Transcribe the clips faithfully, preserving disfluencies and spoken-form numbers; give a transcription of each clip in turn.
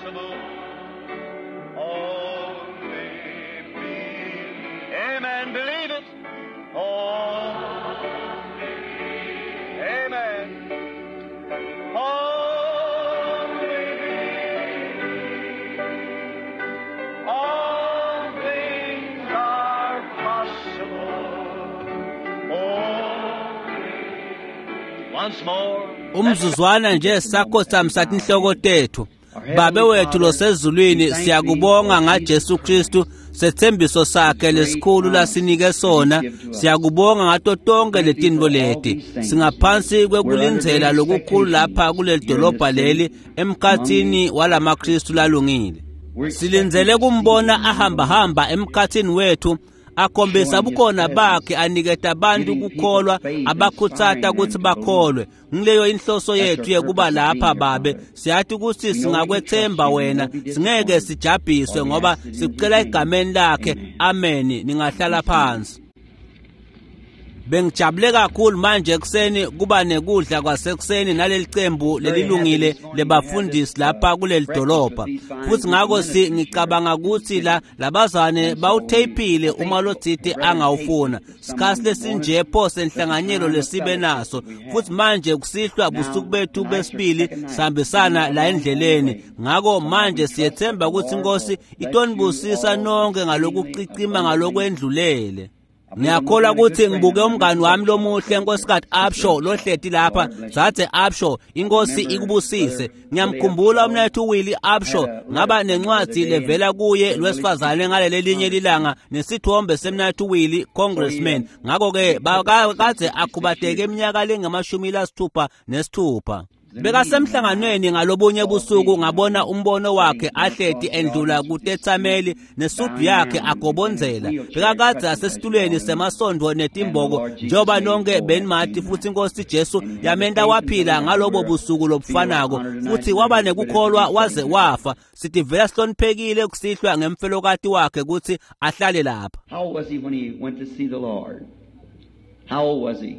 possible. Only believe. Amen. Believe it. Only. Amen. Only believe. All things are possible. Only. Once more. Umzuzwana nje sakhosamisa tinhloko tethu. Babe wethu losezulwini, siyakubonga ngaJesu Kristu, sethembiso sakhe lesikhulu lasinike sona. Siyakubonga ngato tonke letintfo leti. Singaphansi kwekulindzela lokukhulu lapha kuleli dolobha leli emkhatsini walamaKristu lalungile. Silindzele kumbona ahambahamba emkhatsini wethu, akhombisa bukhona bakhe, aniketa abantu kukholwa, abakhutsata kutsi bakholwe. Ngileyo inhloso yethu yekuba lapha Babe. Siyathi kutsi singakwethemba wena, singeke sijabhiswe ngoba sikucela egameni lakhe. Amen. Ningahlala phansi. Bengijabule kakhulu manje ekuseni kuba nekudla kwasekuseni naleli cembu lelilungile lebafundisi lapha kuleli dolobha. Futhi ngako si ngicabanga ukuthi la labazane bawutheyphile uma lotsite angawufuna. Sikhathi lesinje pho senhlanganyelo lesibe naso. Futhi manje kusihlwa busuku bethu besibili sihambisana la endleleni. Ngako manje siyethemba ukuthi iNkosi itonibusisa nonke ngalokucicima ngalokwendlulele. Ngiyakholwa ukuthi ngibuke umngani wami lomuhle Nkosikazi Upshaw lohleti lapha. Dzadze Upshaw, iNkosi ikubusise. Ngiyamkhumbula umnethu Willie Upshaw, ngaba nencwadi levela kuye lwesifazane ngaleli linye lilanga nesithombe semnethu Willie congressman. Ngakho-ke kadze akhubateke iminyaka lengamashumi lasithupha nesithupha. Bekasemhlanganweni ngalobunye busuku, ngabona umbono wakhe ahleti endlula kutetsameli nesudu yakhe agobondzela. Bekakadze asesitulweni semasondvo netimboko njengoba nonke benimati, futhi iNkosi Jesu yamenta waphila ngalobo busuku lobufanako, futhi waba nekukholwa waze wafa. Sitivela sihloniphekile kusihlwa ngemfelokati wakhe kutsi ahlale lapha. How old was he when he went to see the Lord? How old was he?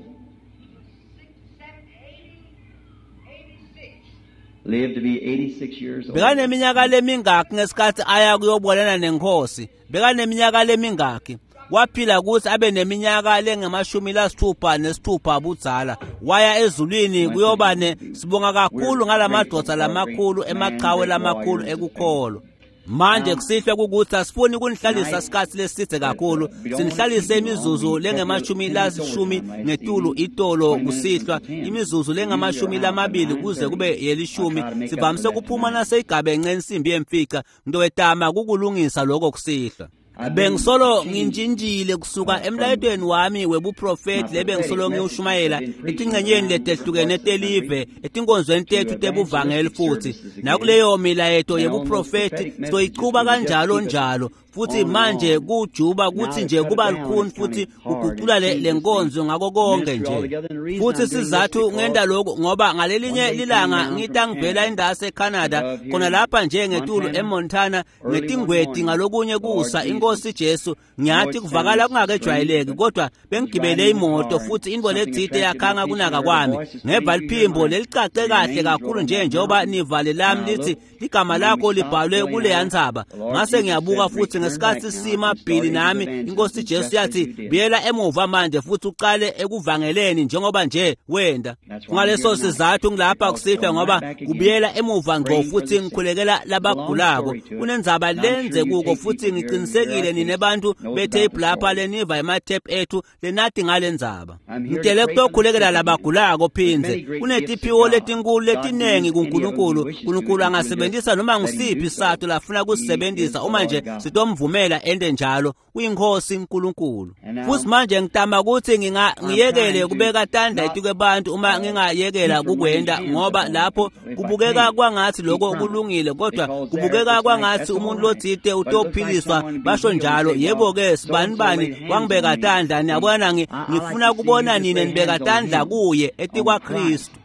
Lived to be eighty-six years old. Bekaneminyaka lemingaki ngesikhathi aya kuyobonana nenkosi? Bekaneminyaka lemingaki? Waphila ukuthi abe neminyaka lengamashumi lasithupha nesithupha budzala. Waya ezulwini kuyoba ne. Sibonga kakhulu ngalamadvodza lamakhulu, emachawe lamakhulu ekukholwa. Manje kusihlwa kukuthi asifuni kunihlalisa isikhathi lesidze kakhulu. Sinihlalise imizuzu lengamashumi lasishumi ngetulu itolo kusihlwa, imizuzu lengamashumi lamabili kuze kube yelishumi. Sivamise kuphuma naseyigabenxe insimbi yemfica. Ngitowetama kukulungisa lokho kusihlwa. Bengisolo ngintshintshile kusuka emlayetweni wami webuprofeti lebengisolo ngiwushumayela etingcenyeni letehlukene telive, etinkonzweni tethu tebuvangeli, futhi nakuleyo milayeto yebuprofeti soyichuba kanjalo njalo. Futhi manje kujuba kuthi nje kuba lukhuni futhi kugucula le nkonzo ngako konke nje. Futhi sizathu ngenta lokhu ngoba ngalelinye lilanga ngitangivela indase eCanada khona lapha nje ngetulu eMontana ngetingweti ngalokunye kusa iNkosi Jesu. Ngiyathi kuvakala kungakejwayeleki, kodwa bengigibele imoto futhi into letsite yakhanga kunaka kwami. Ngeva liphimbo lelicace kahle kakhulu nje njengoba nivale lami lithi ligama lakho libhalwe kuleya ndzaba. Ngase ngiyabuka futhi ngesikhathi sima Billy nami iNkosi Jesu yathi buyela emuva manje futhi uqale ekuvangeleni njengoba nje wenda. Ngaleso sizathu ngilapha kusihlwa ngoba kubuyela emuva ngqo futhi ngikhulekela labagulako. Kunendzaba lenze kuko futhi ngiqinisekile nine bantu betape lapha leniva ematape ethu lenathi ngalendzaba. Ngitele kutokhulekela labagulako phindze. Kunetiphiwo letinkulu letinengi kuNkulunkulu. uNkulunkulu angasebenzisa noma ngisiphi isathu lafuna kusebenzisa uma nje sitomvumela ende njalo. Uyinkosi uNkulunkulu. Futhi manje ngitama ukuthi nginga ngiyekele kubeka tandla etikwebantu uma ngingayekela kukwenda, ngoba lapho kubukeka kwangathi lokho kulungile, kodwa kubukeka kwangathi umuntu lotsite utophiliswa basho njalo. Yebo ke sibani bani wangibeka tandla, niyabona ngifuna kubona nine nibeka tandla kuye etikwa Kristu.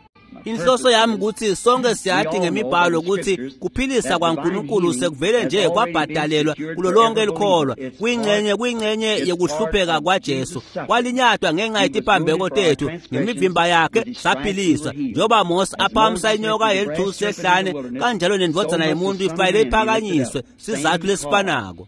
Inhloso yami ukuthi sonke siyati ngemibhalo ukuthi kuphilisa kwaNkulunkulu sekuvele nje kwabhadalelwa kulo lonke likholwa kuyingcenye kuyingcenye yekuhlupheka kwaJesu kwalinyatwa ngenxa yetiphambeko tethu ngemivimba yakhe saphiliswa njengoba Mose aphakamisa inyoka yelithusi ehlane kanjalo nendvodzana yemuntu ifanele iphakanyiswe sizathu lesifanako.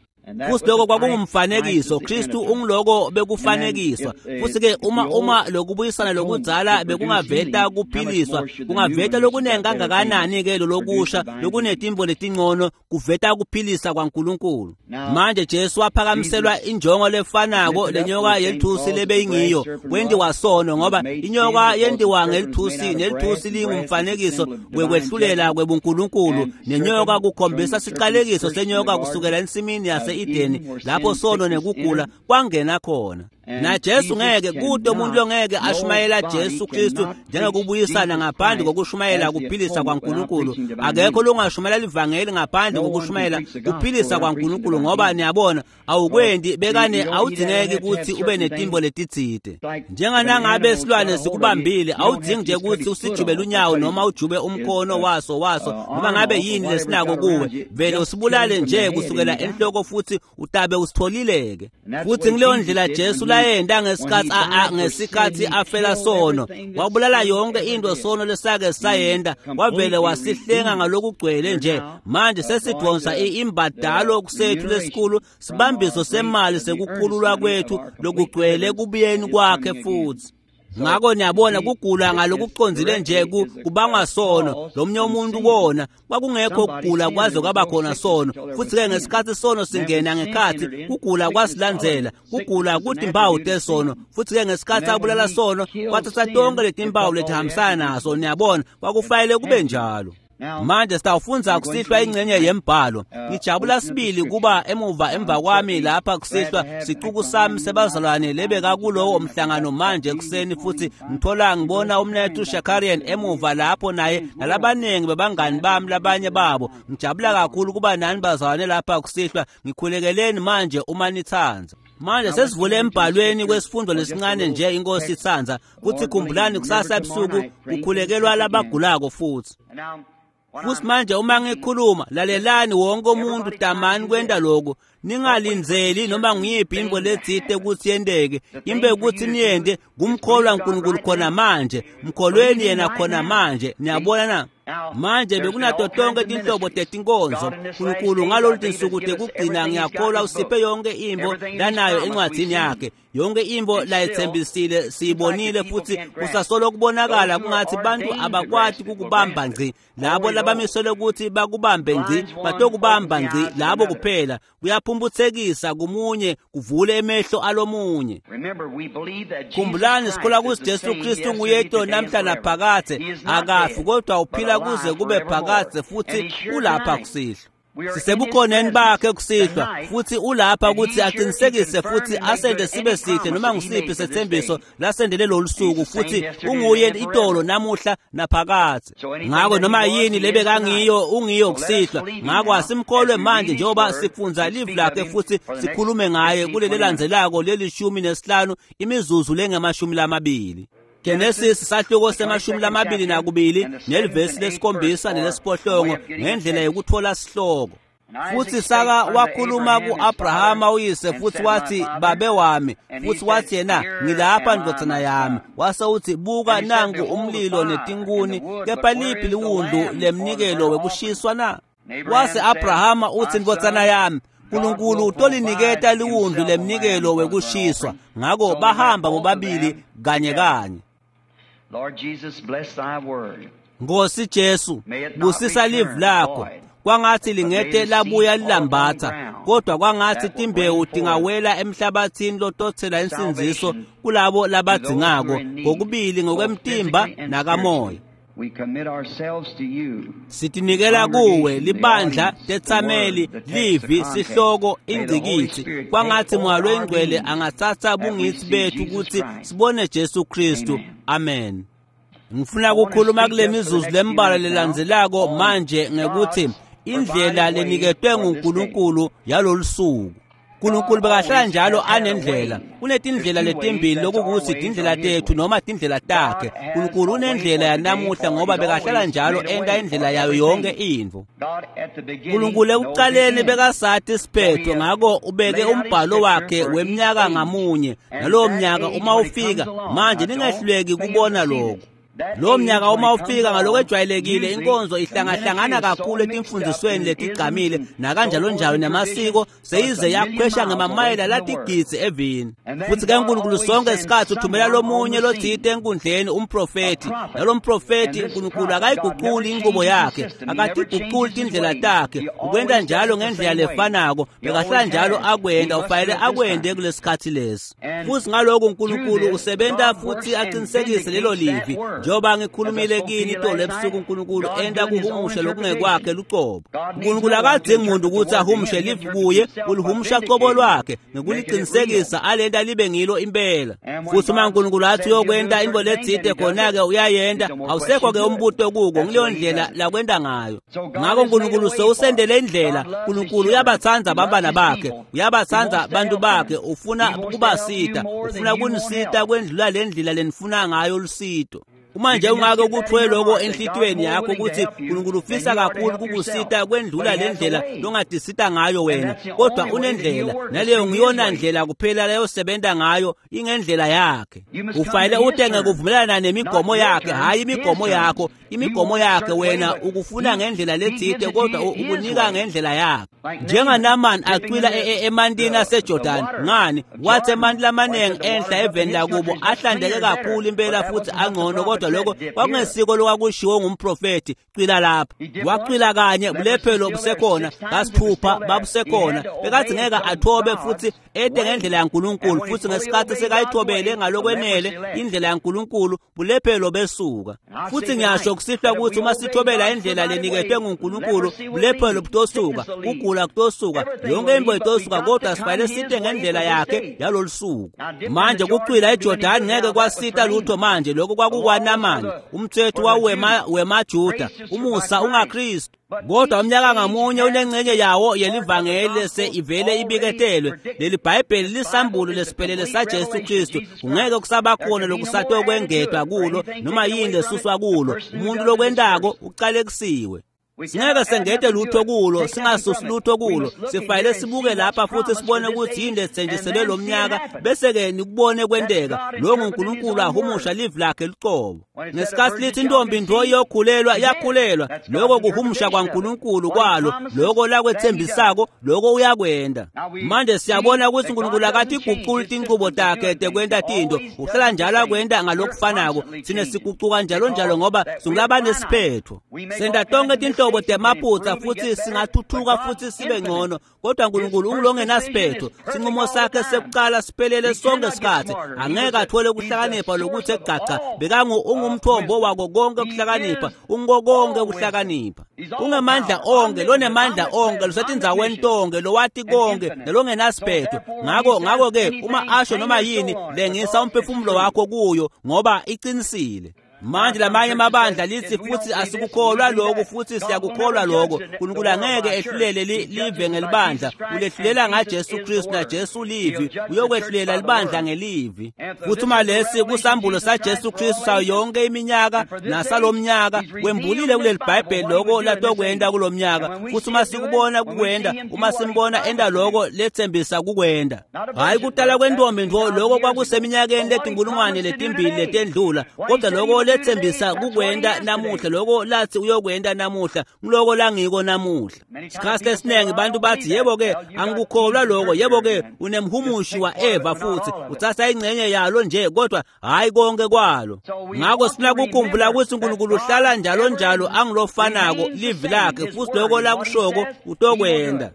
Futhi lokho kwakungumfanekiso Kristu ungiloko bekufanekiswa. Futhi ke uma uma lokubuyisana lokudzala bekungaveta kuphiliswa kungaveta lokunengi kangakanani ke lokusha lokunetimbo letingcono kuveta kuphilisa kwaNkulunkulu. Manje Jesu waphakamiselwa injongo lefanako lenyoka yelithusi lebeyingiyo kwendiwa sono ngoba inyoka yendiwa ngelithusi nelithusi lingumfanekiso wekwehlulela kwebuNkulunkulu nenyoka kukhombisa siqalekiso senyoka kusukela ensimini yase Edeni lapho sono nekugula kwangena khona. Na Jesu ngeke kude umuntu longeke ashumayela Jesu Kristu njengokubuyisana ngaphandle kokushumayela kuphilisa kwaNkulunkulu. Akekho longashumayela ivangeli ngaphandle kokushumayela kuphilisa kwaNkulunkulu ngoba niyabona awukwendi bekane awudingeki ukuthi ube netimbo letitsite. Njenganangabe silwane sikubambile awudingi nje ukuthi usijube unyawo noma ujube umkhono waso waso noma ngabe yini lesinako kuwe vele usibulale nje kusukela enhloko futhi utabe usitholileke. Futhi ngileyo ndlela Jesu layenda ngesikhathi ngesikhathi afela sono wabulala yonke into sono lesake sayenda wavele wasihlenga ngalokugcwele nje. Manje sesidonsa imbadalo kusethu lesikhulu sibambiso semali sekukhululwa kwethu lokugcwele kubuyeni kwakhe futhi. Ngakho niyabona kugula ngalokucondzile nje kubangwa sono lomnye umuntu kona kwakungekho kugula kwaze kwaba khona sono. Futhi ke ngesikhathi sono singena ngekhathi kugula kwasilandzela kugula kutimpawu tesono. Futhi ke ngesikhathi abulala sono kwathatha tonke letimpawu letihambisana naso. Niyabona kwakufanele kube njalo. Manje sitawufundza kusihlwa ingcenye yembhalo. Ngijabula sibili kuba emuva emva kwami lapha kusihlwa sicuku sami sebazalwane lebeka kulowo mhlangano manje kuseni futhi ngithola ngibona umnethu Shakarian emuva lapho naye nalabaningi bebangani bami labanye babo. Ngijabula kakhulu kuba nani bazalwane lapha kusihlwa. Ngikhulekeleni manje uma nithanza. Manje sesivule embhalweni kwesifundo lesincane nje inkosi itsandza kuthi khumbulani kusasa ebusuku kukhulekelwa labagulako futhi. Futhi manje uma ngikhuluma lalelani wonke umuntu tamani kwenta lokho ningalindzeli noma ngiyiphi into letsite ukuthi yenteke imbe ukuthi niyente kumkholwa uNkulunkulu khona manje mkholweni yena khona manje. Niyabona na? Manje bekunato tonke tinhlobo tetinkonzo uNkulunkulu ngalolu tinsuku tekugcina ngiyakholwa usiphe yonke imbo lanayo encwadzini yakhe yonke imbo layithembisile siyibonile futhi kusasolo kubonakala kungathi bantu abakwati kukubamba ngci labo labamiselwe ukuthi bakubambe ngci batokubamba ngci labo kuphela kuyaphumphutsekisa kumunye kuvule emehlo alomunye. Khumbulani sikholwa ukuthi Jesu Kristu nguyedwa namhla naphakadze akafi kodwa uphila kuze kube phakadze futhi ulapha kusihlwa. Sisebukhoneni bakhe kusihlwa futhi ulapha ukuthi aqinisekise futhi asende sibe sihle noma ngisiphi sethembiso lasendele lolu suku futhi unguye itolo namuhla naphakadze. Ngakho noma yini lebekangiyo ungiyo kusihlwa. Ngakho asimkholwe manje njengoba sifundza live lakhe futhi sikhulume ngaye kuleli landzelako lelishumi nesihlanu imizuzu lengamashumi lamabili. Genesis sahluko semashumi lamabili nakubili nelivesi lesikhombisa nelesiphohlongo ngendlela yokuthola sihloko. Futhi Sara wakhuluma ku-Abrahama uyise futhi wathi babe wami futhi wathi yena ngilapha ndvodzana yami. Wase uthi buka nangu umlilo netinkuni kepha liphi liwundlu lemnikelo wekushiswa na? Wase Abrahama uthi ndvodzana yami uNkulunkulu utoliniketa liwundlu lemnikelo wekushiswa. Ngakho bahamba bobabili kanye kanye. Lord Jesus, bless thy word. Nkosi Jesu busisa live lakho kwangathi lingete labuya lilambatha kodwa kwangathi timbewu tingawela emhlabathini lotothela insindziso kulabo labadzingako ngokubili ngokwemtimba nakamoya. We commit ourselves to you. Sitinikela kuwe libandla tetsameli livi sihloko ingcikitsi kwangathi Moya loyingcwele angatsatsa bungitsi bethu ukuthi sibone Jesu Kristu. Amen. Ngifuna ukukhuluma kule mizuzu lembalwa lelandzelako manje ngekuthi indlela leniketwe nguNkulunkulu yalolu suku. Nkulunkulu bekahlala njalo anendlela. Kunetindlela letimbili lokukuthi tindlela tethu noma tindlela takhe. Nkulunkulu unendlela yanamuhla ngoba bekahlala njalo enta indlela yayo yonke intfo. Nkulunkulu ekucaleni bekasati isiphetho, ngako ubeke umbhalo wakhe weminyaka ngamunye. Nalowo mnyaka uma ufika, manje ningehluleki kubona lokho. Lo mnyaka uma ufika ngalokwejwayelekile inkonzo ihlangahlangana kakhulu etimfundisweni letigcamile nakanjalo njalo namasiko seyize yakhwesha ngemamayela latigidzi evini. Futhi ke uNkulunkulu sonke isikhathi uthumela lomunye lotsite enkundleni umprofethi. Nalo mprofethi uNkulunkulu akayiguquli inqubo yakhe, akatiguquli tindlela takhe, ukwenta njalo ngendlela lefanako bekahlala njalo akwenta, ufanele akwente kulesikhathi lesi. Futhi ngaloko uNkulunkulu usebenta futhi aqinisekise lelo livi. Njengoba ngikhulumile kini itolo ebusuku, uNkulunkulu enta kuhumusha lokungekwakhe lucobo. uNkulunkulu akadzingi muntu ukuthi ahumushe livi kuye, ulihumusha cobo lwakhe ngekuliqinisekisa alenta libe ngilo impela. Futhi uma uNkulunkulu athi uyokwenta into letsite khona-ke uyayenta, awusekho-ke umbuto kuko, ngileyo ndlela lakwenta ngayo. Ngako uNkulunkulu sewusendele indlela. uNkulunkulu uyabatsandza bantwana bakhe, uyabatsandza bantu bakhe, ufuna kubasita, ufuna kunisita kwendlula le ndlela lenifuna ngayo lusito. Uma nje ungake ukuthwele lokho enhlitiyweni yakho ukuthi uNkulunkulu ufisa kakhulu kukusita kwendlula le ndlela longatisita ngayo wena, kodwa unendlela, naleyo ngiyona ndlela kuphela leyosebenza ngayo, ingendlela yakhe. Ufanele ute ngekuvumelana nemigomo yakhe, hhayi imigomo yakho. Imigomo yakhe wena ukufuna ngendlela letsite, kodwa ukunika ngendlela yakhe. NjengaNaamani acwila emantini aseJordan, ngani wathi emanti lamaningi enhla eveni lakubo ahlandeke kakhulu impela futhi angcono, kodwa lokho kwakungesiko lokwakushiwo ngumprofethi. Cwila lapha. Wacwila kanye, bulephelo busekhona, kasithupha babusekhona. Bekathi ngeke athobe futhi ete ngendlela yaNkulunkulu, futhi ngesikhathi sekayithobele ngalokwenele indlela yaNkulunkulu, bulephelo besuka. Futhi ngiyasho kusihlwa ukuthi uma sithobela indlela leniketwe nguNkulunkulu, bulephelo butosuka, kugula kutosuka, yonke into itosuka, kodwa sifanele site ngendlela yakhe yalolu suku. Manje kucwila eJordan ngeke kwasita lutho manje, lokho kwakukwaNamani, umthetho wawema wemaJuda, umusa ungaKristu. Kodwa umnyaka ngamunye unengcenye yawo yelivangeli lese ivele ibiketelwe. Leli Bhayibheli lisambulo lesiphelele saJesu Kristu, kungeke kusaba khona lokusatokwengetwa kulo noma yini lesuswa kulo. Umuntu lokwentako ucalekisiwe. Singeke sengete lutho kulo, singasusi lutho kulo. Sifanele sibuke lapha futhi sibone ukuthi yini lesithenjiselwe lo mnyaka, bese-ke nikubone kwenteka. Lo nguNkulunkulu ahumusha livi lakhe lucobo. Ngesikhathi lithi intombi ntfo iyokhulelwa, iyakhulelwa. Lokho kuhumusha kwaNkulunkulu kwalo, lokho lakwethembisako, lokho uyakwenta. Manje siyabona ukuthi uNkulunkulu akatiguquli tinchubo takhe tekwenta tintfo, uhlala njalo akwenta ngalokufanako. Thina sigucuka njalo njalo ngoba singulabanesiphetho. Senta tonke tinhlobo temaphutsa futhi singathuthuka futhi sibe ngcono, kodwa uNkulunkulu ungulongenasiphetho. Sinqumo sakhe sekucala siphelele sonke isikhathi. Angeke athole ukuhlakanipha lokuthi egaca bekangu ungumthombo wako konke ukuhlakanipha, ungo konke ukuhlakanipha. Ungemandla onke, lonemandla onke, losetindzaweni tonke, lowati konke nalongenasiphetho. Ngako ngako ke uma asho noma yini, lengisa umphefumulo wakho kuyo ngoba iqinisile. Manje lamanye amabandla lithi futhi asikukholwa lokho futhi siyakukholwa lokho. uNkulunkulu angeke ehlulele live ngelibandla, ulehlulela ngaJesu Kristu, naJesu livi. Uyokwehlulela libandla ngelivi. Futhi uma lesi kusambulo saJesu Kristu sayo yonke iminyaka nasalomnyaka, kwembulile kuleli Bhayibheli lokho latokwenta kulomnyaka. Futhi uma sikubona kukwenta, uma simbona enta lokho lethembisa kukwenta, hhayi kutala kwentombi ntfo, lokho kwakuseminyakeni letinkulungwane letimbili letendlula, kodwa lokho lethembisa kukwenta namuhla, lokho lathi uyokwenta namuhla, ngiloko langiko namuhla. Isikhathi lesiningi bantu bathi yebo ke angikukholwa lokho, yebo ke unemhumushi wa-Eva futhi uthatha ingcenye yalo nje, kodwa hhayi konke kwalo. Ngakho sifuna kukhumbula ukuthi uNkulunkulu uhlala njalo njalo angilofanako livi lakhe, futhi lokho lakushoko utokwenta.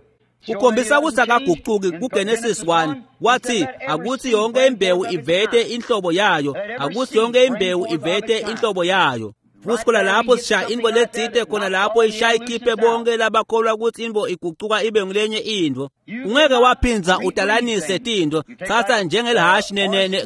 Kukhombisa ukuthi akaguquki. KuGenesis one wathi akuthi yonke imbewu ivete inhlobo yayo, akuthi yonke imbewu ivete inhlobo yayo. Futsi khona lapho sishaya intfo letsite khona lapho ishaya ikhiphe bonke labakholwa kutsi intfo igucuka ibe ngulenye intfo. Ungeke waphindza utalanise tintfo. Tsatsa njengelihhashi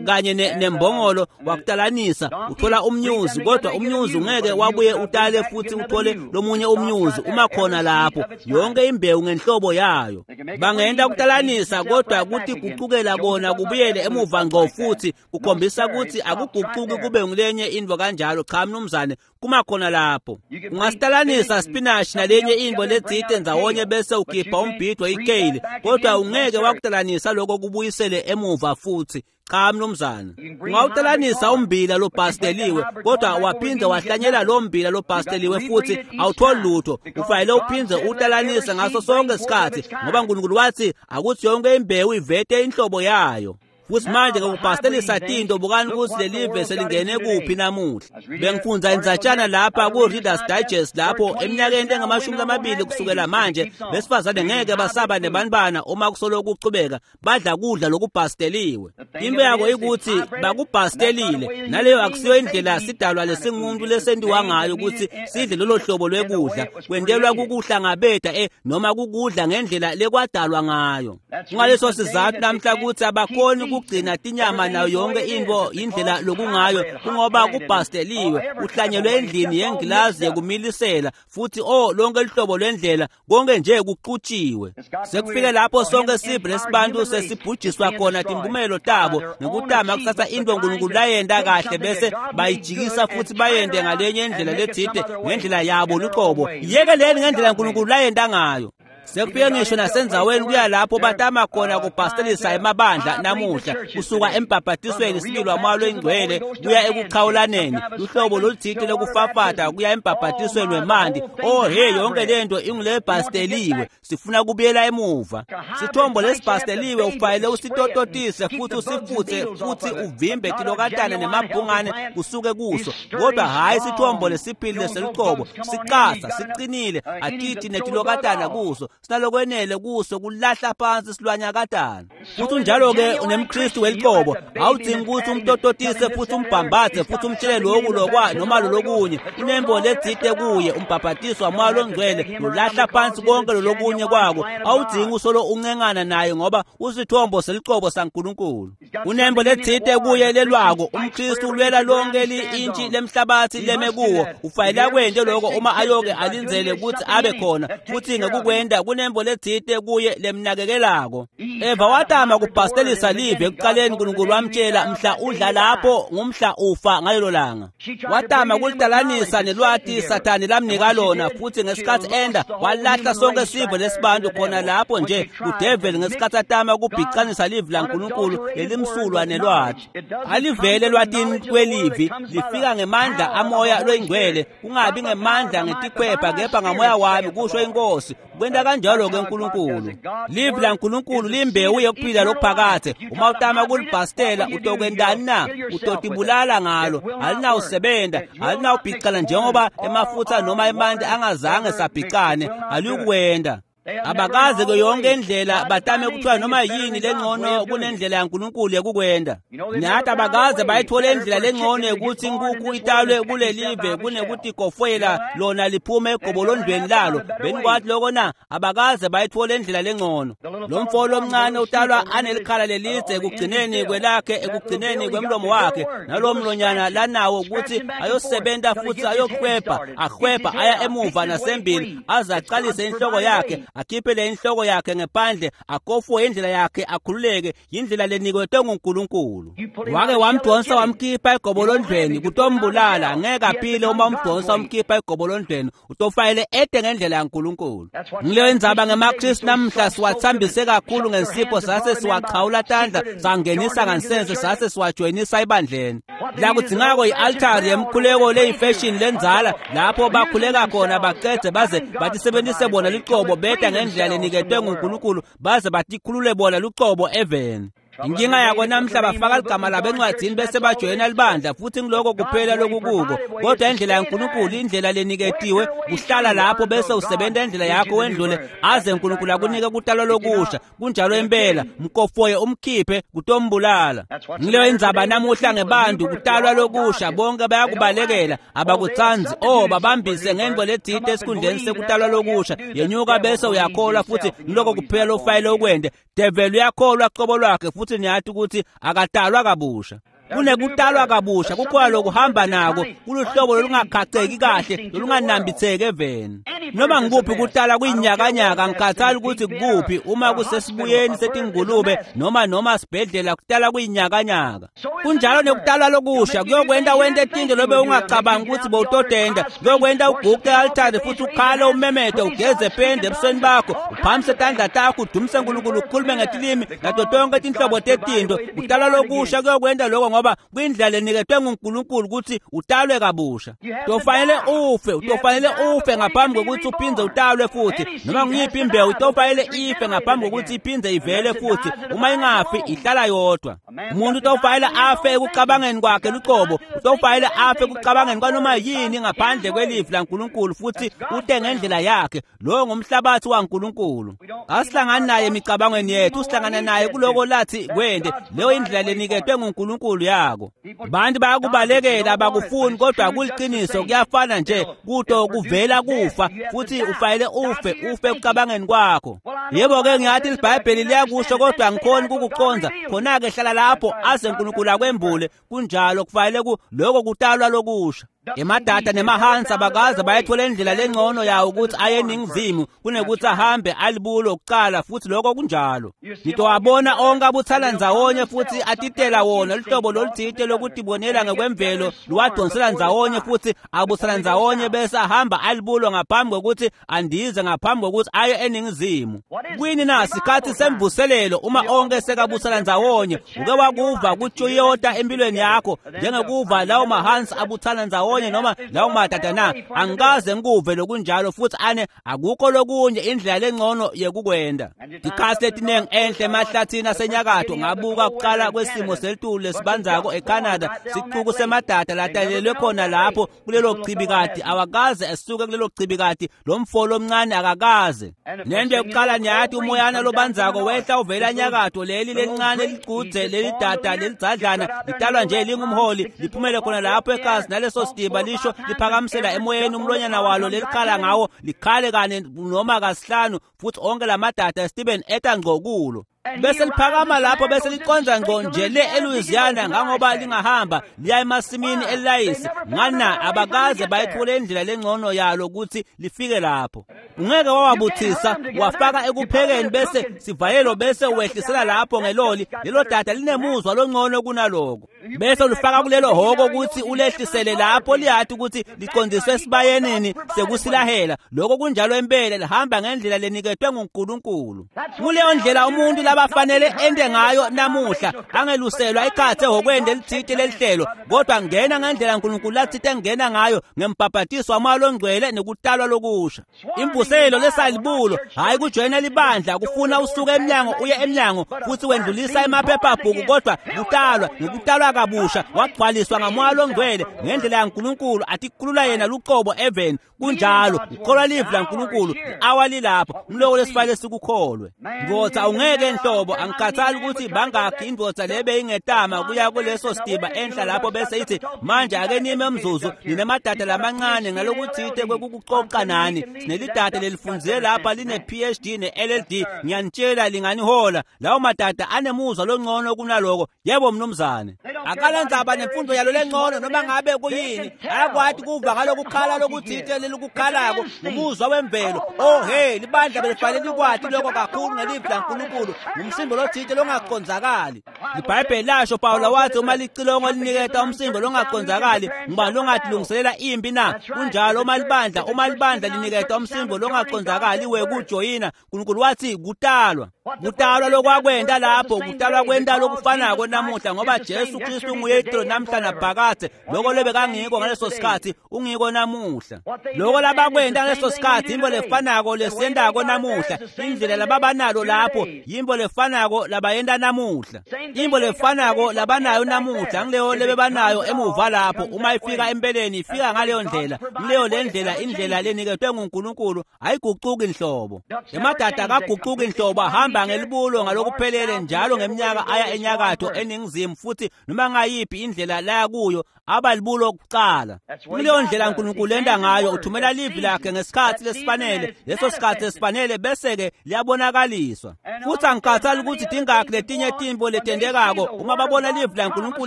kanye nembongolo wakutalanisa uthola umnyuzi, kodwa umnyuzi ungeke wabuye utale futsi uthole lomunye umnyuzi uma khona lapho. Yonke imbewu ngenhlobo yayo. Bangenta kutalanisa kodwa kutigucukela kona kubuyele emuva ngco futsi kukhombisa kutsi akugucuki kube ngulenye intfo kanjalo. Cha mnumzane, kuma khona lapho. Ungasitalanisa spinach nalenye intfo letsite ndzawonye bese ukhipha umbhidvo ikale, kodwa ungeke wakutalanisa lokho kubuyisele emuva futsi. Cha mnumzane. Ungawutalanisa umbila lobhasteliwe, kodwa waphindze wahlanyela lo mbila lobhasteliwe futsi awutholi lutho. Ufanele uphindze utalanise ngaso sonke isikhatsi, ngoba uNkulunkulu wathi akuthi yonke imbewu ivete inhlobo yayo. Futsi manje ngekubhastelisa tintfo, bukani kutsi lelive selingene kuphi namuhla. Bengifundza indzatshana lapha ku-Reader's Digest lapho eminyakeni engamashumi lamabili kusukela manje besifazane ngeke basaba nebantfwana uma kusolo kuchubeka badla kudla lokubhasteliwe. Into yako ikutsi bakubhastelile, naleyo akusiyo indlela sidalwa lesingumuntu lesentiwa ngayo kutsi sidle lolo hlobo lwekudla. Kwentelwa kukuhlangabeta eh noma kukudla ngendlela lekwadalwa ngayo. Kungaleso sizatfu namhla kutsi abakhoni kugcina tinyama nayo yonke intfo indlela lokungayo, kungoba kubhasteliwe, kuhlanyelwe endlini yengilazi yekumilisela futsi oh lonke luhlobo lwendlela konke nje kuxutshiwe. Sekufike lapho sonke sive lesibantu sesibhujiswa khona timphumelo tabo ngekutama kusatsa intfo uNkulunkulu layenta kahle bese bayijikisa futsi bayente ngalenye indlela letsite ngendlela yabo luqobo. Yekeleni ngendlela uNkulunkulu layenta ngayo. Sekufike ngisho nasendzaweni kuya lapho batama khona kubhastelisa emabandla namuhla, kusuka embhabhatisweni sibili wamoya loyingcwele kuya ekuchawulaneni, luhlobo lolutsite lokufafata kuya embhabhatisweni wemanti. Oh hey, yonke lento ingulebhasteliwe. Sifuna kubuyela emuva. Sithombo lesibhasteliwe ufanele usitototise futsi usifutse futsi uvimbe tilokatane nemabhungane kusuke kuso, kodwa hhayi sithombo lesiphilile selucobo. Siqasa, siqinile, atiti netilokatana kuso, sinalokwenele kuso kulahla phansi silwanyakatana. Futhi unjalo-ke nemKristu weliqobo, awudzingi kutsi umtototise futsi umbhambathe futsi umtshele loku lokwa noma lolokunye. Unembo letsite kuye, umbhabhatiso wamoya longcwele lolahla phansi konke lolokunye kwako. Awudzingi usolo uncengana naye ngoba usithombo seliqobo saNkulunkulu. Unembo letsite kuye lelwako. UmKristu ulwela lonke li-intshi lemhlabathi leme kuwo. Ufanele akwente loko uma ayoke alindzele kutsi abe khona, futsi ngekukwenta kunembo letsite kuye lemnakekelako. Eva watama kubhastelisa live ekuqaleni, uNkulunkulu wamtshela mhla udla lapho ngumhla ufa ngalelo langa. Watama kulitalanisa nelwati Sathane lamnika lona, futsi ngesikhatsi enda walahla sonke sive lesibantu khona lapho nje kudeveli ngesikhatsi atama kubhicanisa live laNkulunkulu lelimsulwa nelwati. Alivele elwatini kwelivi, lifika ngemandla amoya loyingcwele, kungabi ngemandla ngetikhwepha kepha ngamoya wami, kusho inkosi. Kwenta kanjalo ke uNkulunkulu. Livi laNkulunkulu limbewu yekuphila lokuphakathe. Uma utama kulibhastela utokwentani na? Utotibulala ngalo. Alinawusebenta, alinawubhicana njengoba emafutsa noma emanti angazange sabhicane, aliyukwenta. Abakaze ke yonke indlela batame kuthiwa noma yini lengcono kunendlela yaNkulunkulu yekukwenta. Nathi abakaze bayithole indlela lengcono yokuthi inkukhu italwe kulelive kunekutigofwela lona liphume egobolondweni lalo. Benikwathi loko na? Abakaze bayithole indlela lengcono. Lo mfo lomncane utalwa anelikhala lelidze ekugcineni kwelakhe, ekugcineni kwemlomo wakhe, nalo mlonyana lanawo ukuthi ayosebenta futsi ayokhwepha, akhwepha aya emuva nasembili aze aqalise inhloko yakhe, akhiphe le inhloko yakhe ngephandle, akofwe indlela yakhe, akhululeke. Yindlela lenikwetwe nguNkulunkulu. Wake wamdonsa wamkhipha egobolondlweni kutombulala. Ngeke aphile uma umdonsa wamkhipha egobolondlweni, utofanele ete ngendlela yaNkulunkulu. Ngileyo indzaba ngemaKristu namhla, siwathambise kakhulu ngensipho sase siwachawula tandla sangenisa ngansense sase siwajoyinisa ebandleni. La kudzingako i-altari yemkhuleko leyifashion lendzala lapho bakhuleka khona baqedze baze batisebentise bona lucobo beta ngendlela leniketwe nguNkulunkulu baze batikhulule bona lucobo eveni. Inkinga yako namhla bafaka ligama labo encwadzini bese bajoyina libandla futhi ngiloko kuphela lokukuko. Kodwa indlela yaNkulunkulu, indlela leniketiwe, kuhlala lapho bese usebenta indlela yakho wendlule aze uNkulunkulu akunike kutalwa lokusha. Kunjalo impela, mkofoye umkhiphe kutombulala. Ngileyo indzaba namuhla ngebantu kutalwa lokusha, bonke bayakubalekela, abakutsandzi. Oh, babambise ngento letsite esikhundleni sekutalwa lokusha. Yenyuka bese uyakholwa futhi ngiloko kuphela lofayile ukwente. Devil uyakholwa qobo lwakhe futhi niyathi ukuthi akatalwa kabusha. Kunekutalwa kabusha kukhona lokuhamba nako kuluhlobo lolungakhaceki kahle lolunganambitheki eveni. Noma ngikuphi kutala kuyinyakanyaka, ngikhathali ukuthi kuphi, uma kusesibuyeni setingulube noma noma sibhedlela, kutala kuyinyakanyaka. Kunjalo nekutalwa lokusha kuyokwenta wente tinto lobe ungacabangi ukuthi bowutotenda. Kuyokwenta uguqe altare futhi ukhale umemete ugeze pende ebusweni bakho, uphamise tandla takho udumise uNkulunkulu, ukhulume ngetilimi nato tonke tinhlobo tetinto. Kutalwa lokusha kuyokwenta lokho ngoba kwindlela leniketwe nguNkulunkulu ukuthi utalwe kabusha. Utofanele ufe, utofanele ufe ngaphambi kokuthi uphindze utalwe futhi. Noma ngiyiphi imbewu itofanele ife ngaphambi kokuthi iphindze ivele futhi. Uma ingafi ihlala yodwa. Umuntu utofanele afe ekucabangeni kwakhe luqobo, utofanele afe ekucabangeni kwanoma yini ngaphandle kwelivi laNkulunkulu futhi ute ngendlela yakhe. Lowo ngumhlabathi waNkulunkulu. Asihlangani naye emicabangweni yethu, sihlangana naye kuloko lathi kwende. Leyo indlela leniketwe nguNkulunkulu yako. Bantu bayakubalekela, abakufuni, kodwa kuliqiniso, kuyafana nje kuto kuvela kufa futhi ufanele ufe, ufe ekucabangeni kwakho. Yebo ke ngiyathi iBhayibheli liyakusho kodwa angikhoni kukuconza. Khona ke hlala lapho aze uNkulunkulu akwembule. Kunjalo, kufanele ku lokho kutalwa lokusha. Emadata nemahansi abakaze bayathola indlela lengcono yawo ukuthi aye eningizimu kunekuthi ahambe alibulo kuqala futhi lokho kunjalo. Ngitowabona onke abuthana ndzawonye futhi atitela wona luhlobo loluthite lokutibonela ngekwemvelo luwadonsela ndzawonye futhi abuthana ndzawonye bese ahamba alibulo ngaphambi kokuthi andize, ngaphambi kokuthi aye eningizimu. Kwini na sikhathi semvuselelo uma onke sekabuthana ndzawonye? Uke wakuva kuToyota empilweni yakho njengekuva lawo mahansi abuthana ndzawonye noma lawo madada na? Angikaze ngikuve lokunjalo futhi ane akukho lokunye indlela lengcono yekukwenda. Tikhathi letiningi enhle emahlathini asenyakatho ngabuka kuqala kwesimo selitulu lesibanzako eCanada, sicuku semadada latalelwe khona lapho kulelo chibikati, awakaze esuke kulelo chibikati, lo mfo lomncane akakaze. Nento yokuqala niyathi umoyana lobanzako wehla uvela nyakatho, leli lencane ligudze lelidada lelidzadlana litalwa nje lingumholi liphumele khona lapho ekhasi naleso sidiba lisho liphakamisela emoyeni umlonyana walo lelikhala ngawo likhale kane noma kasihlanu futhi onke lamadada esitibeni eta ngqo kulo. Bese liphakama lapho bese liconza ngqo nje le eLouisiana ngangoba lingahamba liya emasimini elayisi. Ngana abakaze bayithole indlela lengcono yalo ukuthi lifike lapho. Ungeke wawabuthisa wafaka ekuphekeni bese sivayelo bese wehlisela lapho ngeloli, lelo dada linemuzwa longcono kunaloko. Bese ulifaka kulelo hoko ukuthi ulehlisele lapho liyathi ukuthi liqondiswe esibayenini sekusilahela. Lokho kunjalo impela, lihamba ngendlela leniketwe nguNkulunkulu. Kuleyo ndlela umuntu labafanele ende ngayo namuhla, angeluselwa ikhathe ehokweni lelithite lelihlelo, kodwa ngena ngendlela uNkulunkulu lathite ngena ngayo ngembhabhatiso waMoya loNgcwele nekutalwa lokusha. Imvuselo lesalibulo hayi kujoyina libandla kufuna usuke emnyango uye emnyango futhi wendlulisa emaphephabhuku, kodwa kutalwa ngekutalwa kabusha wagcwaliswa ngaMoya loNgcwele ngendlela yaNkulunkulu atikhulula yena luqobo eveni. Kunjalo, ukholwa livi laNkulunkulu i-awa lilapho, umloko lesifanele sikukholwe. Ndvodza ungeke nhlobo, angikhathali ukuthi bangakhi indvodza lebe ingetama kuya kuleso sidiba enhla lapho bese ithi manje ake nime umzuzu ninemadada lamancane ngalokuthite kwekukucoca nani, sinelidada lelifundzile lapha line P H D ne L L D, ngiyanitshela linganihola. Lawo madada anemuzwa longcono kunaloko. Yebo mnumzane, akalandzaba nemfundo yalo lengcono noma ngabe kuyini, ayakwati kuva ngalokukhala lokuthite lelukukhalako ngumuzwa wemvelo. Oh hey, libandla belifanele likwati lokho kakhulu ngelivi laNkulunkulu, ngumsimbo lothite longacondzakali. IBhayibheli lasho Pawula wathi uma licilongo liniketa umsimbo longacondzakali, ngubani longatilungiselela impi na? Kunjalo uma libandla, uma libandla liniketa umsimbo longacondzakali wekujoyina, uNkulunkulu wathi kutalwa. Kutalwa lokwakwenta lapho, kutalwa kwenta lokufanako namuhla, ngoba Jesu Kristu nguye itolo namhla naphakadze. Loko lebekangiko ngaleso sikhatsi ungiko namuhla. Loko labakwenta ngaleso sikhatsi yintfo lefanako lesiyentako namuhla. Indlela lababanalo lapho yintfo lefanako labayenta namuhla. Intfo lefanako labanayo namuhla ngileyo lebebanayo emuva lapho. Uma ifika empeleni ifika ngaleyo ndlela. Ngileyo lendlela, indlela leniketwe nguNkulunkulu ayigucuki inhlobo. Emadada akagucuki inhlobo, ahamba ngelibulo ngalokuphelele njalo ngeminyaka aya enyakatho eningizimu, futhi noma ngayiphi indlela laya kuyo abalibulo kucala. Kuleyo ndlela uNkulunkulu enda ngayo, uthumela livi lakhe ngesikhathi lesifanele, leso sikhathi esifanele bese-ke liyabonakaliswa. Futhi angikhathali ukuthi tingakhi letinye tintfo letentekako, uma babona livi laNkulunkulu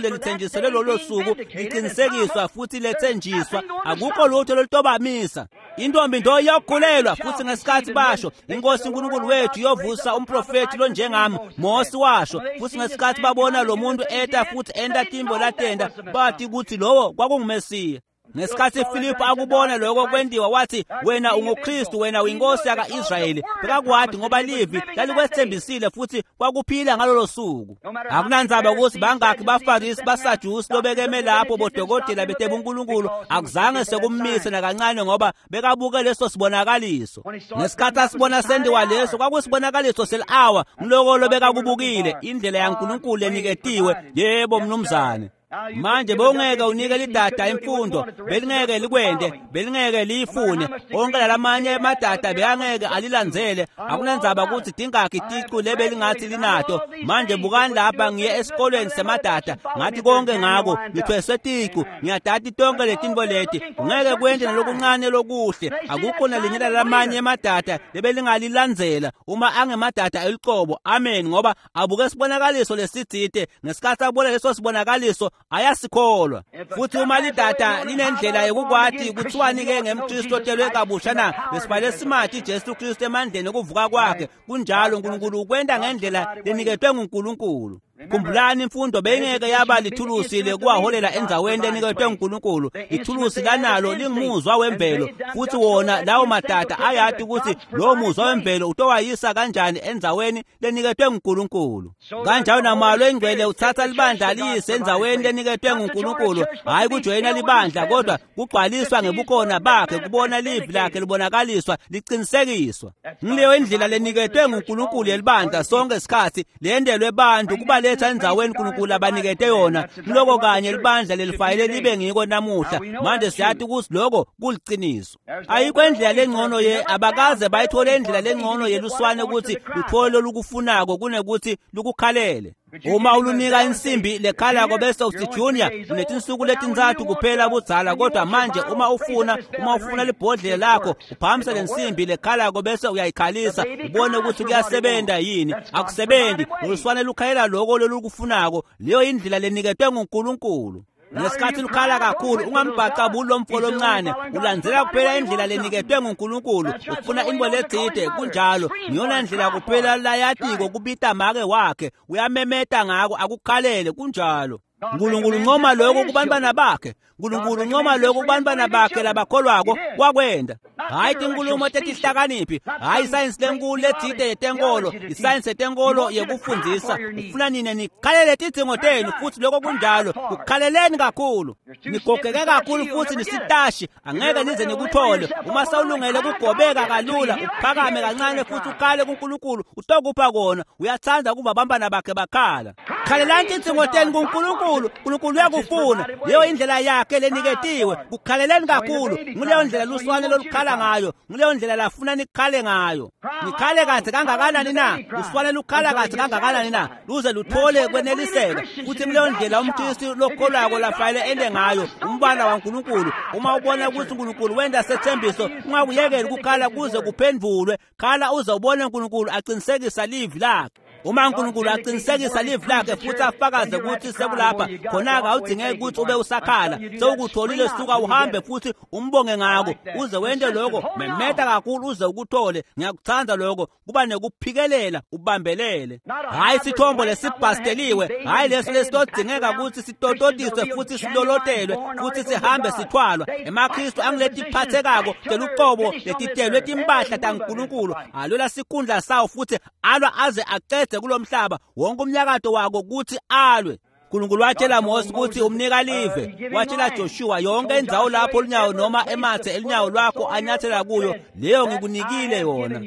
lelithenjiselwe lolo suku liqinisekiswa futhi lethenjiswa, akukho lutho lolutobamisa. Intombi ndo iyokhulelwa, futhi ngesikhathi basho inkosi uNkulunkulu wethu iyovusa umprofethi lonjengami, Mose washo. Futhi ngesikhathi babona lo muntu eta futhi enta tintfo latenta, bathi ukuthi lowo kwakunguMesiya. Ngesikhathi Filipu akubona lokho kwentiwa, wathi wena unguKristu, wena uyinkosi yaka-Israyeli. Bekakwati ngoba livi lalikwethembisile futhi kwakuphila ngalolo suku. Akunandzaba ukuthi bangakhi baFarisi, baSadusi lobekeme lapho, bodokotela betebunkulunkulu, akuzange sekumise nakancane ngoba bekabuke leso sibonakaliso. Ngesikhathi asibona sentiwa leso, kwakusibonakaliso seli-awa, ngiloko lobekakubukile, indlela yaNkulunkulu leniketiwe. Yebo mnumzane. Manje bowungeke unike lidada imfundo, belingeke likwente, belingeke liyifune. Onke lalamanye emadada bekangeke alilandzele. Akunandzaba ukuthi tingakhi ticu lebelingathi linato. Manje bukani lapha, ngiye esikolweni semadada, ngathi konke ngako, ngithweswe ticu, ngiyadati tonke letintfo leti. Ungeke kwente nalokuncane lokuhle. Akukho nalinye lalamanye emadada lebelingalilandzela uma angemadada elucobo. Amen. Ngoba abuke sibonakaliso lesitsite, ngesikhathi abona leso sibonakaliso ayasikholwa. Futhi uma lidada linendlela yokukwati kuthiwani-ke ngemKristu otelwe kabusha na? Besibale simati Jesu Kristu emandleni okuvuka kwakhe. Kunjalo, uNkulunkulu ukwenta ngendlela leniketwe nguNkulunkulu. Khumbulani, imfundo beyingeke yaba lithulusi lekuwaholela endzaweni leniketwe nguNkulunkulu. Ithulusi lanalo lingumuzwa wemvelo, futhi wona lawo madada ayati ukuthi lowo muzwa wemvelo utowayisa kanjani endzaweni leniketwe nguNkulunkulu. Kanjalo namalo engcwele uthatha libandla liyise endzaweni leniketwe nguNkulunkulu, hhayi kujoyina libandla, kodwa kugcwaliswa ngebukhona bakhe, kubona livi lakhe libonakaliswa liqinisekiswa. Ngileyo indlela leniketwe nguNkulunkulu yelibandla sonke isikhathi, lendelwe bantu kubaletha endzaweni uNkulunkulu abanikete yona. Loko kanye libandla lelifanele libe ngiko namuhla. Manje siyati ukuthi lokho kuliciniso. Ayikho indlela lengcono ye, abakaze bayithole indlela lengcono yeluswane ukuthi luthole lolukufunako kunekuthi lukukhalele. Uma ulunika insimbi lekhalako bese uthi Junior unetinsuku letintsatfu kuphela budzala, kodwa manje uma ufuna uma ufuna libhodlela lakho uphakamisa lensimbi lekhalako bese uyayikhalisa ubone ukuthi kuyasebenta yini. Akusebenzi. Uluswane lukhalela loko lolukufunako. Leyo indlela leniketwe nguNkulunkulu. Ngesikhathi lukhala kakhulu ungambhacabuli lo mfo lomncane, ulandzela kuphela indlela leniketwe nguNkulunkulu. Ufuna intfo letsite, kunjalo. Ngiyona ndlela kuphela layatiko kubita make wakhe, uyamemeta ngako akukhalele, kunjalo. Nkulunkulu uncoma lokho kubantwana bakhe. Nkulunkulu uncoma lokho kubantwana bakhe labakholwako wakwenda. Hhayi tinkulumo tetihlakaniphi, hhayi isayensi lenkulu letsite yetenkolo, isayensi yetenkolo yekufundzisa. Ufuna nine nikhalele tidzingo tenu, futhi lokho kunjalo. Kukhaleleni kakhulu, nigogeke kakhulu futhi nisitashi, angeke nize nikuthole. Uma sewulungele kugobeka kalula, uphakame kancane futhi ukhale kuNkulunkulu, utokupha kona. Uyathanda ukuba abantwana bakhe bakhala. Khalelani tidzingo tenu kuNkulunkulu, uNkulunkulu uyakufuna. Leyo indlela yakhe leniketiwe. Kukhaleleni kakhulu. Nguleyo ndlela luswane lolukhala ngayo, nguleyo ndlela lafuna nikhale ngayo. Nikhale kahle kangakanani na? Luswane lukhala kahle kangakanani na? Luze luthole kweneliseka. Futhi nguleyo ndlela umKristu lokholwako lafanele ende ngayo, umbala waNkulunkulu. Uma ubona ukuthi uNkulunkulu wenda sethembiso, ungakuyekeli kukhala kuze kuphendvulwe. Khala uze ubone uNkulunkulu aqinisekisa livi lakhe. Uma uNkulunkulu aqinisekisa livi lakhe futhi afakaze ukuthi sekulapha khona-ke awudingeki ukuthi ube usakhala, sewukutholile. Suka uhambe futhi umbonge ngako uze wente lokho, memeta kakhulu uze ukuthole. Ngiyakuthanda lokho, kuba nekuphikelela ubambelele. Hhayi sithombo lesibhasteliwe, hhayi leso lesitodingeka ukuthi sitototiswe futhi silolotelwe futhi sihambe sithwalwa. EmaKristu angiletiphathekako teluqobo letitelwe timpahla taNkulunkulu alwela sikhundla sawo futhi alwa aze aqede kulomhlaba wonke umnyakato wako ukuthi alwe. uNkulunkulu watshela Mose ukuthi umnika live, watshela Joshua yonke indzawo lapho lunyawo noma emathe elinyawo lwakho anyathela kuyo, leyo ngikunikile yona.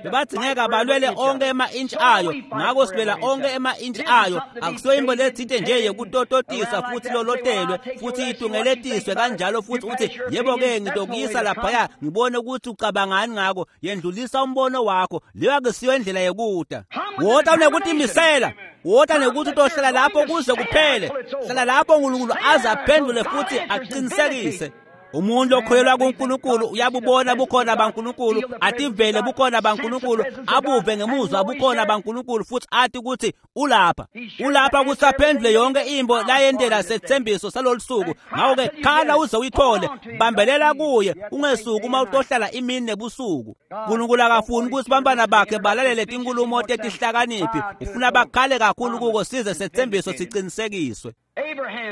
Bebadingeka balwele onke ema-inch ayo, ngakho silwela onke ema-inch ayo. Akusiyo into lethinte nje yekutototisa futhi lolotelwe futhi itungeletiswe kanjalo futhi uthi yebo-ke ngitokuyisa laphaya ngibone ukuthi ucabangani ngako. Yendlulisa umbono wakho, leyo akusiyo indlela yekuta. Wota unekutimisela, wota nekuthi utohlala lapho kuze kuphele. Hlala lapho uNkulunkulu aze aphendule futhi aqinisekise. Umuntu okholelwa kuNkulunkulu uyabubona bukhona baNkulunkulu, ativele bukhona baNkulunkulu, abuve ngemuzwa bukhona baNkulunkulu futhi athi ukuthi ulapha. Ulapha ukuthi aphendule yonke imbo layendela sethembiso salolu suku. Ngakho-ke khala uze uyithole, bambelela kuye, ungesuki uma utohlala imini nebusuku. uNkulunkulu akafuni ukuthi bantwana bakhe balalele tinkulumo tetihlakaniphi, ufuna bakhale kakhulu kuko size sethembiso siqinisekiswe.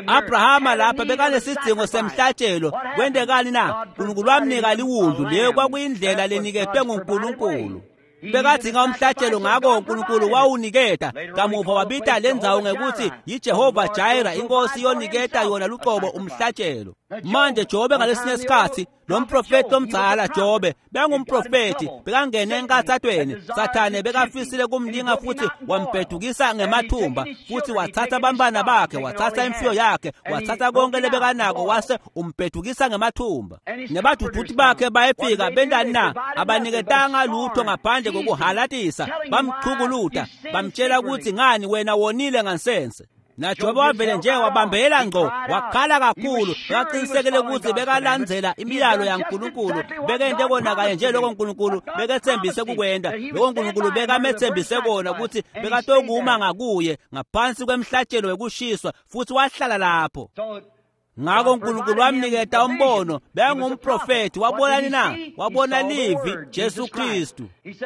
Abrahama lapha bekanesidingo semhlatshelo. Kwentekani na? uNkulunkulu wamnika liwundlu, leyo kwakuyindlela leniketwe nguNkulunkulu. Bekadinga umhlatshelo, ngakho uNkulunkulu wawuniketa. Kamuva wabita le ndzawo ngekuthi yiJehova Jireh, inkosi yoniketa yona luqobo umhlatshelo. Manje Jobe ngalesinye isikhathi, lo mprofeti omdala Jobe bekangumprofeti, bekangene enkathathweni. Sathane bekafisile kumlinga futhi wambhedukisa ngemathumba, futhi wathatha abantwana bakhe, wathatha imfuyo yakhe, wathatha konke lebekanako, wase umbhedukisa ngemathumba. Nebaduduti bakhe bayefika bentani na? Abaniketanga lutho ngaphandle kokuhalatisa, bamchukuluta, bamtshela ukuthi ngani wena wonile ngansense. NaJobe wavele nje wabambela ngqo, wakhala kakhulu, bekaqinisekile ukuthi bekalandzela imiyalo yaNkulunkulu, bekente kona kanye nje lokho uNkulunkulu bekethembise kukwenta, lokho uNkulunkulu bekamethembise kona ukuthi bekatokuma ngakuye ngaphansi kwemhlatshelo wekushiswa, futhi wahlala lapho. Ngakho uNkulunkulu wamniketa umbono, bekangumprofethi. Wabonani na? Wabona livi, Jesu Kristu.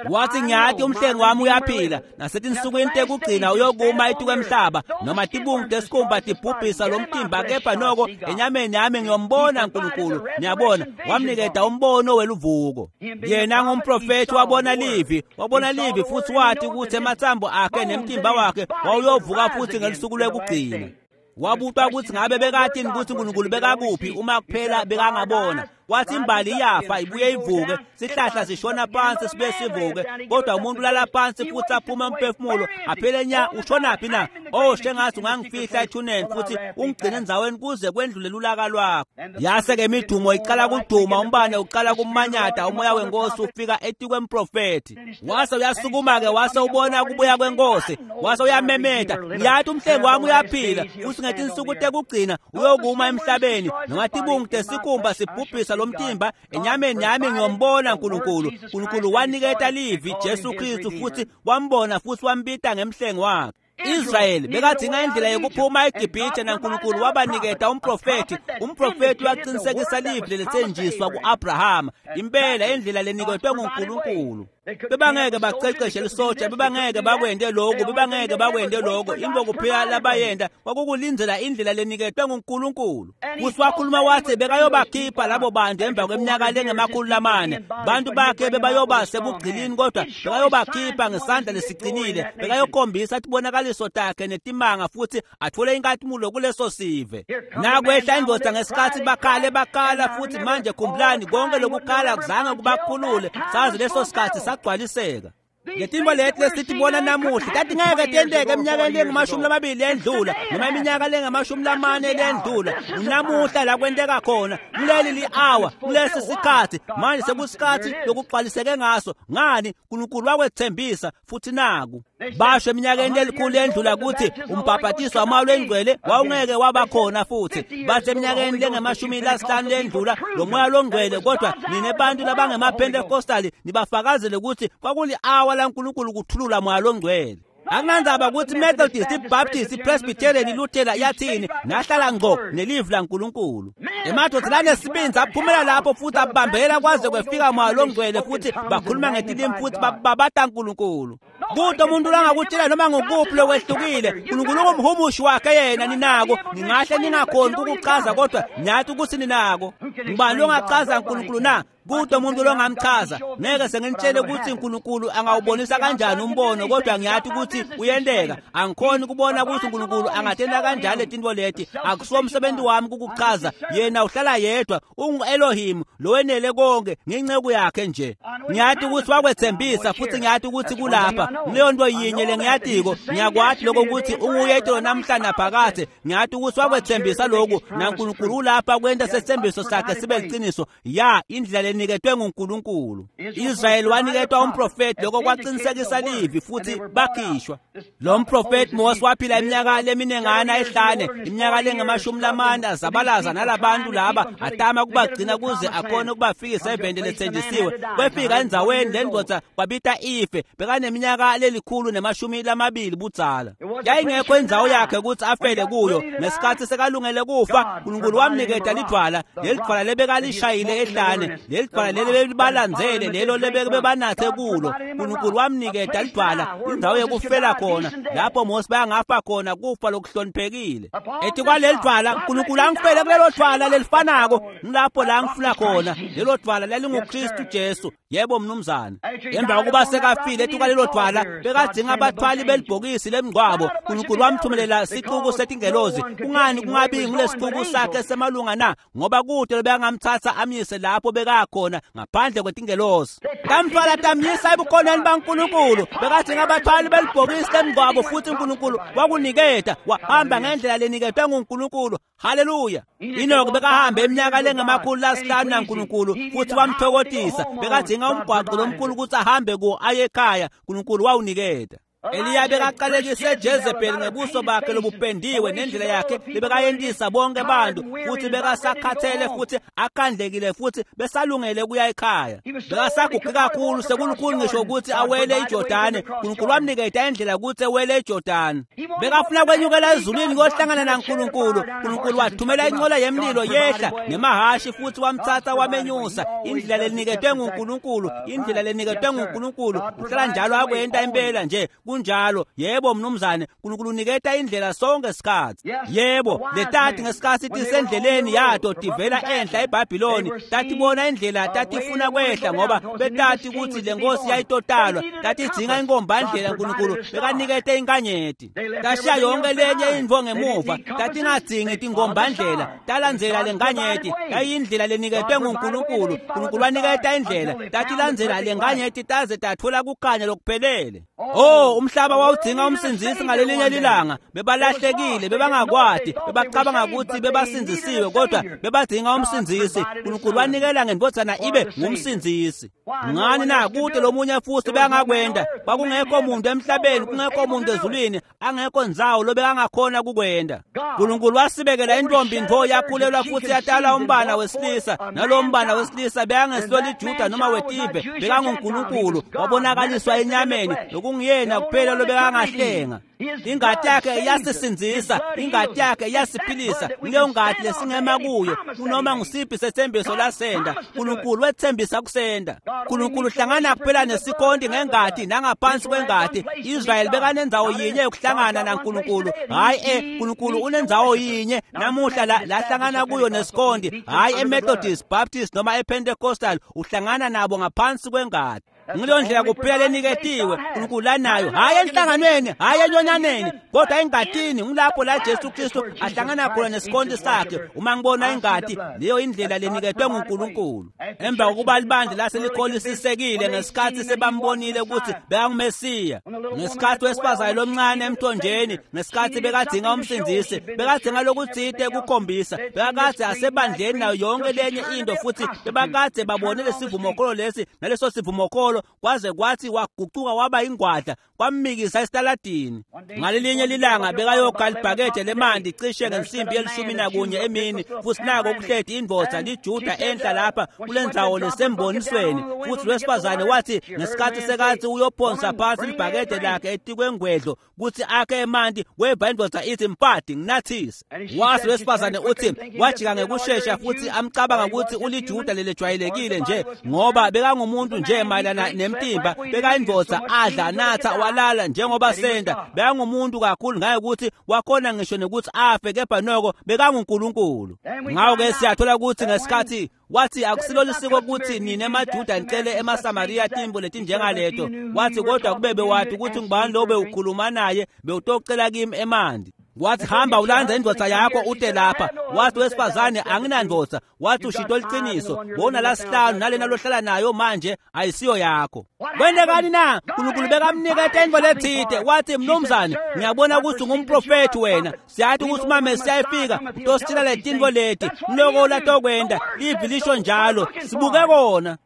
Wathi ngiyati umhlengi wami uyaphila, nasetinsukwini tekugcina uyokuma etukwemhlaba, noma tibungu tesikhumba tibhubhisa lo mtimba, kepha noko enyameni yami ngiyombona uNkulunkulu. Niyabona, wamniketa umbono weluvuko. Yena ngumprofethi wabona livi, wabona livi futhi wathi ukuthi emathambo akhe nemtimba wakhe wawuyovuka futhi ngelusuku lwekugcina. Wabutwa ukuthi ngabe bekatini ukuthi uNkulunkulu bekakuphi uma kuphela bekangabona. Wathi imbali iyafa ibuye ivuke, sihlahla sishona phansi sibuye sivuke, kodwa umuntu ulala phansi futhi aphume umphefumulo aphele nya. Ushonaphi na? Oh, shengathi ungangifihla ethuneni futhi ungigcine endzaweni kuze kwendlule lulaka lwakho. Yase-ke imidumo iqala kuduma, umbane uqala kumanyata, umoya wenkosi ufika etikwemprofethi. Wase uyasukuma-ke, wase ubona kubuya kwenkosi, wase uyamemeta, ngiyathi umhlengi wami uyaphila futhi ngetinsuku tekugcina uyokuma emhlabeni, noma tibungu tesikhumba sibhubhisa lomtimba, enyameni yami ngiyombona uNkulunkulu. uNkulunkulu waniketa livi, Jesu Kristu, futhi wambona futhi wambita ngemhlengi wakhe. Israyeli bekadinga indlela yokuphuma eGibhithe, naNkulunkulu wabaniketa umprofethi. Umprofethi waqinisekisa livi lelethenjiswa ku-Abrahama, impela indlela leniketwe nguNkulunkulu. Bebangeke baqeqeshe lisotsha, bebangeke bakwente lokhu, bebangeke bakwente lokho. Into kuphela labayenta kwakukulindzela indlela leniketwe nguNkulunkulu. Futhi wakhuluma wathi bekayobakhipha labo bantu emva kweminyaka lengemakhulu lamane. Bantu bakhe bebayoba sebugcilini, kodwa bekayobakhipha ngesandla lesiqinile, bekayokhombisa tibonakaliso takhe netimanga futhi athole inkathimulo kuleso sive. Nakwehla indoda ngesikhathi bakhale bakhala, futhi manje khumbulani, konke lokukhala kuzange kubakhulule, sazi leso sikhathi sagcwaliseka. Ngetimbo leti lesitibona namuhla tatingeke tenteke eminyakeni lengamashumi lamabili lendlula, noma iminyaka lengamashumi lamane lendlula. Namuhla la kwenteka khona, kuleli li-hour, kulesi sikhathi manje sekusikhathi lokugcwaliseke ngaso. Ngani? uNkulunkulu wakwethembisa futhi naku. Basho eminyakeni elikhulu endlula ukuthi umbhabhatiso wamoya longcwele wawungeke waba khona futhi. Bathi eminyakeni lengamashumi lasihlanu lendlula lo moya longcwele, kodwa nine bantu labangemaPentecostali nibafakazele ukuthi kwakuli-hour laNkulunkulu kuthulula moya longcwele. Akunandzaba ukuthi Methodist, iBaptist, iPresbyterian, iLuthela yathini, nahlala ngqo nelivi laNkulunkulu. Emadoda lanesibindi aphumela lapho futhi abambela kwaze kwefika moya longcwele futhi bakhuluma ngetilimi futhi babata uNkulunkulu. Kude umuntu langakutshela noma ngukuphi lokwehlukile, uNkulunkulu ungumhumushi wakhe yena ninako. Ningahle ningakhoni ukukuchaza kodwa nyathi ukuthi ninako. Ngubani longachaza uNkulunkulu na? Kude umuntu longamchaza. Ngeke senginitshele ukuthi uNkulunkulu angawubonisa kanjani umbono, kodwa ngiyathi ukuthi uyenteka. Angikhoni ukubona ukuthi uNkulunkulu angatenda kanjani letinto leti. Akusiwo umsebenzi wami ukukuchaza. Yena uhlala yedwa, ungu-Elohim lowenele konke, nginceku yakhe nje. Ngiyathi ukuthi wakwethembisa futhi ngiyathi ukuthi kulapha. Leyo nto yinye lengiyatiko, ngiyakwathi lokho ukuthi unguyedwa namhla naphakade. Ngiyathi ukuthi wakwethembisa lokhu, naNkulunkulu ulapha kwenta sethembiso sakhe sibe liqiniso. Ya, indlela leniketwe nguNkulunkulu. Israyeli waniketwa umprofeti, lokho kwaqinisekisa livi futhi bakhishwa. Lo mprofeti Mose waphila iminyaka leminengana ehlane, iminyaka lengamashumi lamane azabalaza nalabantu laba, atama kubagcina kuze akhone ukubafikisa eveni lethenjisiwe. Kwefika endzaweni lendoda kwabita ife, bekaneminyaka lelikhulu nemashumi lamabili budzala. Yayingekho indzawo yakhe ukuthi afele kuyo. Ngesikhathi sekalungele kufa, uNkulunkulu wamniketa lidvwala, leli dvwala lebekalishayile ehlane, leli dvwala leli belibalandzele, lelo lebebanathe kulo. uNkulunkulu wamniketa lidvwala, indzawo yekufela khona, lapho Mose bayangafa khona kufa lokuhloniphekile. Ethi kwaleli dvwala, uNkulunkulu angifele kulelo dvwala lelifanako, ngilapho la ngifuna khona. Lelo dvwala lalinguKristu Jesu. Yebo mnumzane. Emva kokuba sekafile ethi kwalelo dvwala, bekadzinga abathwali belibhokisi lemngcwabo. uNkulunkulu wamthumelela sixuku setingelozi. Kungani kungabi ngulesixuku sakhe semalunga na? Ngoba kude bekangamthatha amyise lapho bekakhona ngaphandle kwetingelozi. Tamthwala tamyisa ebukhoneni baNkulunkulu. Bekadzinga abathwali belibhokisi lemngcwabo futhi uNkulunkulu wakuniketa. Wahamba ngendlela leniketwe nguNkulunkulu. Haleluya. Enoch bekahambe iminyaka lengamakhulu lasihlanu naNkulunkulu futhi wamthokotisa. Bekadzinga umgwaqo lomkhulu ukuthi ahambe kuwo aye ekhaya. uNkulunkulu wawuniketa. Eliya bekaqalekise Jezebel ngebuso bakhe lobupendiwe nendlela yakhe lebekayentisa bonke abantu, futhi bekasakhathele futhi akhandlekile futhi besalungele kuya ekhaya. Bekasaguge kakhulu sekulukhulu ngisho ukuthi awele iJordani. uNkulunkulu wamniketa indlela ukuthi ewele iJordani. Bekafuna kwenyukela ezulwini kuyohlangana naNkulunkulu. uNkulunkulu wathumela inqola yemlilo yehla nemahashi futhi wamthatha wamenyusa. Indlela leniketwe nguNkulunkulu, indlela leniketwe nguNkulunkulu uhlala njalo akwenta impela nje. Kunjalo. Yebo mnumzane, uNkulunkulu uniketa indlela sonke isikhathi. Yebo, letati ngesikhathi tisendleleni yato tivela enhla eBhabhiloni, tatibona indlela tatifuna kwehla ngoba betati ukuthi lenkosi yayitotalwa, tatidzinga inkombandlela. uNkulunkulu bekanikete inkanyeti. Tashiya yonke lenye intfo ngemuva, tatingadzingi tinkombandlela, talandzela lenkanyeti. Yayindlela leniketwe nguNkulunkulu. uNkulunkulu waniketa indlela, tatilandzela lenkanyeti taze tatfola kukhanya lokuphelele. Oh, umhlaba wawudzinga umsindzisi ngalelinye lilanga. Bebalahlekile, bebangakwati, bebacabanga ukuthi bebasindzisiwe, kodwa bebadzinga umsindzisi. uNkulunkulu wanikela ngendvodzana ibe ngumsindzisi. Ngani na? Kude lomunye futhi bekangakwenta. Kwakungekho muntu emhlabeni, kungekho muntu ezulwini, angekho ndzawo lobekangakhona kukwenta. uNkulunkulu wasibekela intombi ntfo yakhulelwa futhi yatala umbana wesilisa, nalowo mbana wesilisa bekangesilo liJuda noma wetive, bekanguNkulunkulu wabonakaliswa enyameni, lokunguyena kuphela lobekangahlenga. Ingati yakhe iyasisindzisa, ingati yakhe iyasiphilisa. Leyo ngati lesingema kuyo kunoma ngusiphi sethembiso lasenda. uNkulunkulu wethembisa kusenda. uNkulunkulu uhlangana kuphela nesikhonti ngengati nangaphansi kwengati. Israyeli bekanendzawo yinye yokuhlangana naNkulunkulu. Hayi e uNkulunkulu unendzawo yinye namuhla la lahlangana kuyo nesikhonti, hayi eMethodist, Baptist noma ePentecostal. Uhlangana nabo ngaphansi kwengati. Ngileyo ndlela kuphela leniketiwe uNkulunkulu lanayo, hayi enhlanganweni, hayi enyonyaneni, kodwa engatini. Ngilapho la Jesu Kristu ahlangana khona nesikhonti sakhe. Uma ngibona ingati, leyo indlela leniketwe nguNkulunkulu. Emva kokuba libandla laselikholisekile ngesikhathi sebambonile ukuthi bekanguMesiya, ngesikhathi wesifazane lomncane emthonjeni, ngesikhathi bekadzinga umsindzisi, bekadzinga lokutsite kukhombisa, bekakade asebandleni nayo yonke lenye into, futhi bebakade babone lesivumokolo lesi naleso sivumokolo. tivumokholo kwaze kwathi wagucuka waba ingwadla kwammikisa esitaladini. Ngalelinye lilanga bekayokha libhakede lemanti cishe ngensimbi yelishumi nakunye emini, futhi nako kuhleti indvodza liJuda enhla lapha kulendzawo lesembonisweni. Futhi wesifazane wathi ngesikhathi sekathi uyophonsa phansi libhakede lakhe etikwengwedlo kutsi akhe emanti, weva indvodza ithi, "Mfati, nginathise." Wathi wesifazane uthi wajika ngekushesha futhi amcabanga ukuthi uliJuda lelejwayelekile nje, ngoba bekangumuntu nje mayelana nemtimba, bekayindvodza adla natha walala njengoba senda, bekangumuntu kakhulu ngaye ukuthi wakhona ngisho nekuthi afe, kepha noko bekanguNkulunkulu. Ngakho-ke siyathola ukuthi ngesikhathi wathi akusilo lisiko ukuthi nina emaJuda nicele emaSamariya timbo letinjengaleto, wathi kodwa kube bewathi ukuthi ngubani lo bewukhuluma naye bewutocela kimi emanti. Wathi hamba ulandze indvodza yakho ute lapha. Wathi wesifazane, anginandvodza. Wathi ushito liciniso, bona lasihlanu nalena lohlala nayo manje ayisiyo yakho. Kwentekani na? Nkulunkulu bekamniketa intfo letsite. Wathi, mnumzane, ngiyabona ukuthi ungumprofethi wena, siyathi ukuthi uma Mesiya efika utositshela letintfo leti, mloko latokwenta, livi lisho njalo, sibuke kona.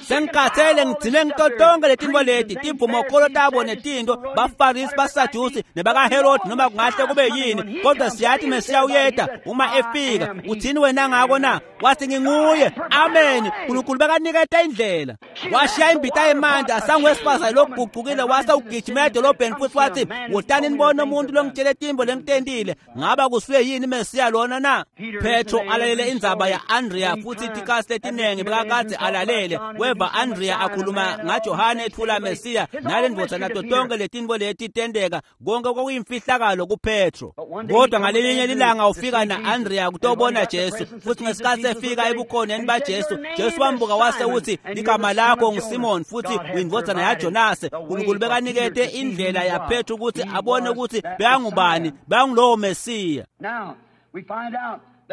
Sengikhathele ngigcine ngito tonke letintfo leti, tivumokholo tabo netintfo, baFarisi, baSadusi nebakaHerodi, noma kungahle kube yini, kodwa siyathi Mesiya uyeta uma efika. Uthini wena ngako na? Wathi nginguye. Amen. Nkulunkulu bekaniketa indlela. Washiya imbita yemanti asangwesifazane lokugucukile, wase ugijima edolobheni futhi wathi, wotani nibone umuntu longitshele tintfo lengitentile, ngaba kusuye yini Mesiya lona na? Petro alalele indzaba ya-Andrea futhi tikasi letinengi bekakadze alalele, weva Andrea akhuluma ngaJohane ethula Mesiya nale ndvodza nato tonke letintfo leti tenteka, konke kwakuyimfihlakalo kuPetro. Kodwa ngalelinye lilanga ufika na-Andrea kutobona Jesu, futhi ngesikhathi efika ebukhoneni baJesu, Jesu wambuka wase uthi, ligama lakho nguSimon futhi uyindvodzana yaJonase. Nkulunkulu bekanikete indlela yaPetro ukuthi abone ukuthi bekangubani, bekangulowo Mesiya.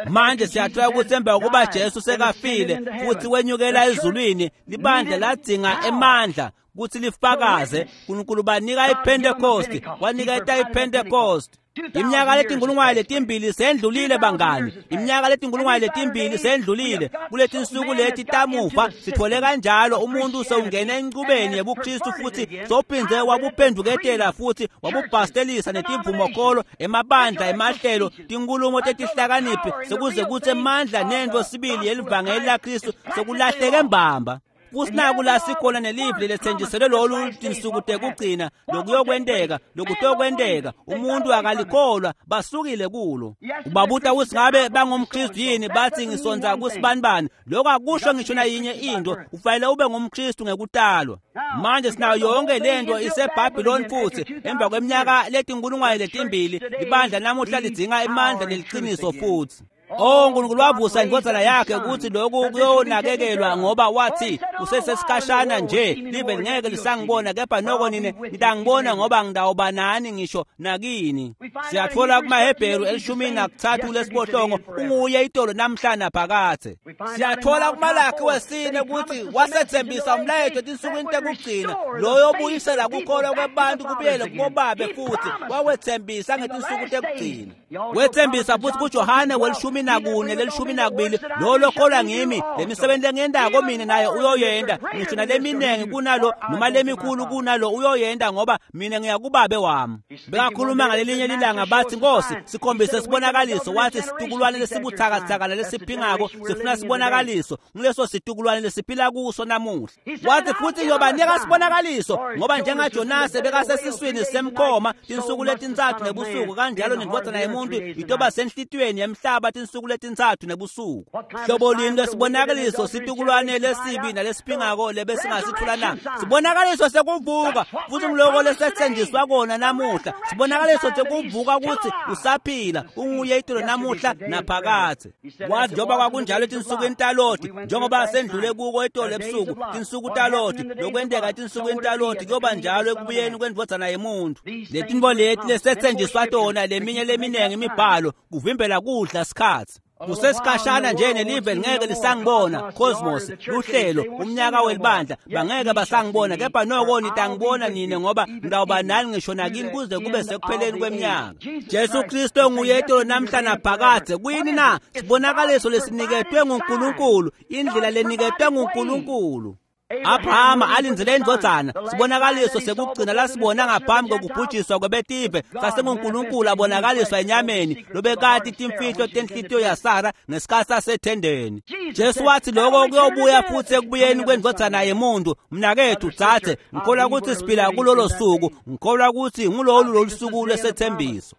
Manje siyathola ukuthi emva kokuba Jesu sekafile futhi wenyukela ezulwini, libandla ladzinga emandla ukuthi lifakaze. Nkulunkulu banika iPentecost, waniketa iPentecost. Iminyaka letinkulungwane letimbili sendlulile bangani, iminyaka letinkulungwane letimbili sendlulile. Kuletinsuku leti tamuva sithole kanjalo umuntu sewungena encubeni yebuKristu futhi sophindze wabuphenduketela futhi wabubhastelisa netivumokholo, emabandla, emahlelo, tinkhulumo tetihlakaniphi, sekuze kutsi emandla nentfo sibili yelivangeli laKristu sekulahleke mbamba. Futhi la sikhona nelivi lethenjiselwe lolu tinsuku tekugcina, lokuyokwenteka, lokutokwenteka, umuntu akalikholwa, basukile kulo. Ubabuta ukuthi ngabe bangumKristu yini, bathi ngisonza kusibanibani. Lokho akusho ngisho nayinye into, ufanele ube ngumKristu ngekutalwa. Manje sinayo yonke lento iseBhabhiloni futhi emva kweminyaka letinkulungwane letimbili, libandla namuhla lidzinga emandla neliqiniso futhi. Oh, Nkulunkulu wavusa indvodzana yakhe ukuthi lokhu kuyonakekelwa, ngoba wathi kusesesikhashana nje live lingeke lisangibona, kepha noko nine nitangibona, ngoba ngitawuba nani ngisho nakini. Siyathola kumaHebheru elishumi nakuthathu lesiphohlongo, unguye itolo namhla naphakadze. Siyathola kuMalakhi wesine ukuthi wasethembisa umlayeto etinsukwini tekugcina, loyo obuyisela kukholwa kwabantu kubuyele kubobabe, futhi wawethembisa ngetinsuku tekugcina. Wethembisa futhi kuJohane welishumi nakune lelishumi nakubili, lo lokholwa ngimi, lemisebenzi lengiyentako mina naye uyoyenta, ngisho naleminengi kunalo noma lemikhulu kunalo uyoyenta, ngoba mina ngiyakubabe wami. Bekakhuluma ngalelinye lilanga bathi, Nkosi, sikhombise sibonakaliso. Wathi situkulwane lesibuthakathaka lesiphingako sifuna sibonakaliso, nguleso situkulwane lesiphila kuso namuhla. Wathi futhi ngiyobanika sibonakaliso, ngoba njengaJonase bekasesiswini semkhoma tinsuku letintsatfu nebusuku, kanjalo nendvodzana yemuntu itoba senhlitiyweni yemhlaba tinsuku letintsatfu nebusuku. Hlobo lini lesibonakaliso situkulwane lesibi nalesiphingako lebesingasithola na? Sibonakaliso sekuvuka, futhi ngiloko lesethenjiswa kona namuhla. Sibonakaliso sekuvuka ukuthi usaphila, unguye itolo namuhla naphakadze. Wathi njengoba kwakunjalo etinsukwini taLoti, njengoba sendlule kuko itolo ebusuku, tinsuku taLoti, lokwenteka etinsukwini taloti kuyoba njalo ekubuyeni kwendvodzana yemuntu. Letintfo leti lesethenjiswa tona, leminye leminengi imibhalo kuvimbela kudla sikhatsi. Kusesikhashana nje nelive lingeke lisangibona, cosmos, luhlelo, umnyaka welibandla, bangeke basangibona, kepha noko nitangibona nine, ngoba ngitawuba nani ngisho nakini kuze kube sekupheleni kweminyaka. Jesu Kristu nguye itolo namhla naphakadze. Kuyini na? Sibonakaliso lesiniketwe nguNkulunkulu, indlela leniketwe nguNkulunkulu. Abrahama alindzele indvodzana, sibonakaliso sekugcina lasibona ngaphambi kokubhujiswa kwebetive sasenguNkulunkulu abonakaliswa enyameni lobekati timfihlo tenhlitiyo yaSara ngesikhatsi asethendeni. Jesu wathi lokho kuyobuya futhi ekubuyeni kwendvodzana yemuntu. Mnaketfu dzadze, ngikholwa kutsi siphila kulolo suku, ngikholwa kutsi ngulolu lolu suku lwesethembiso.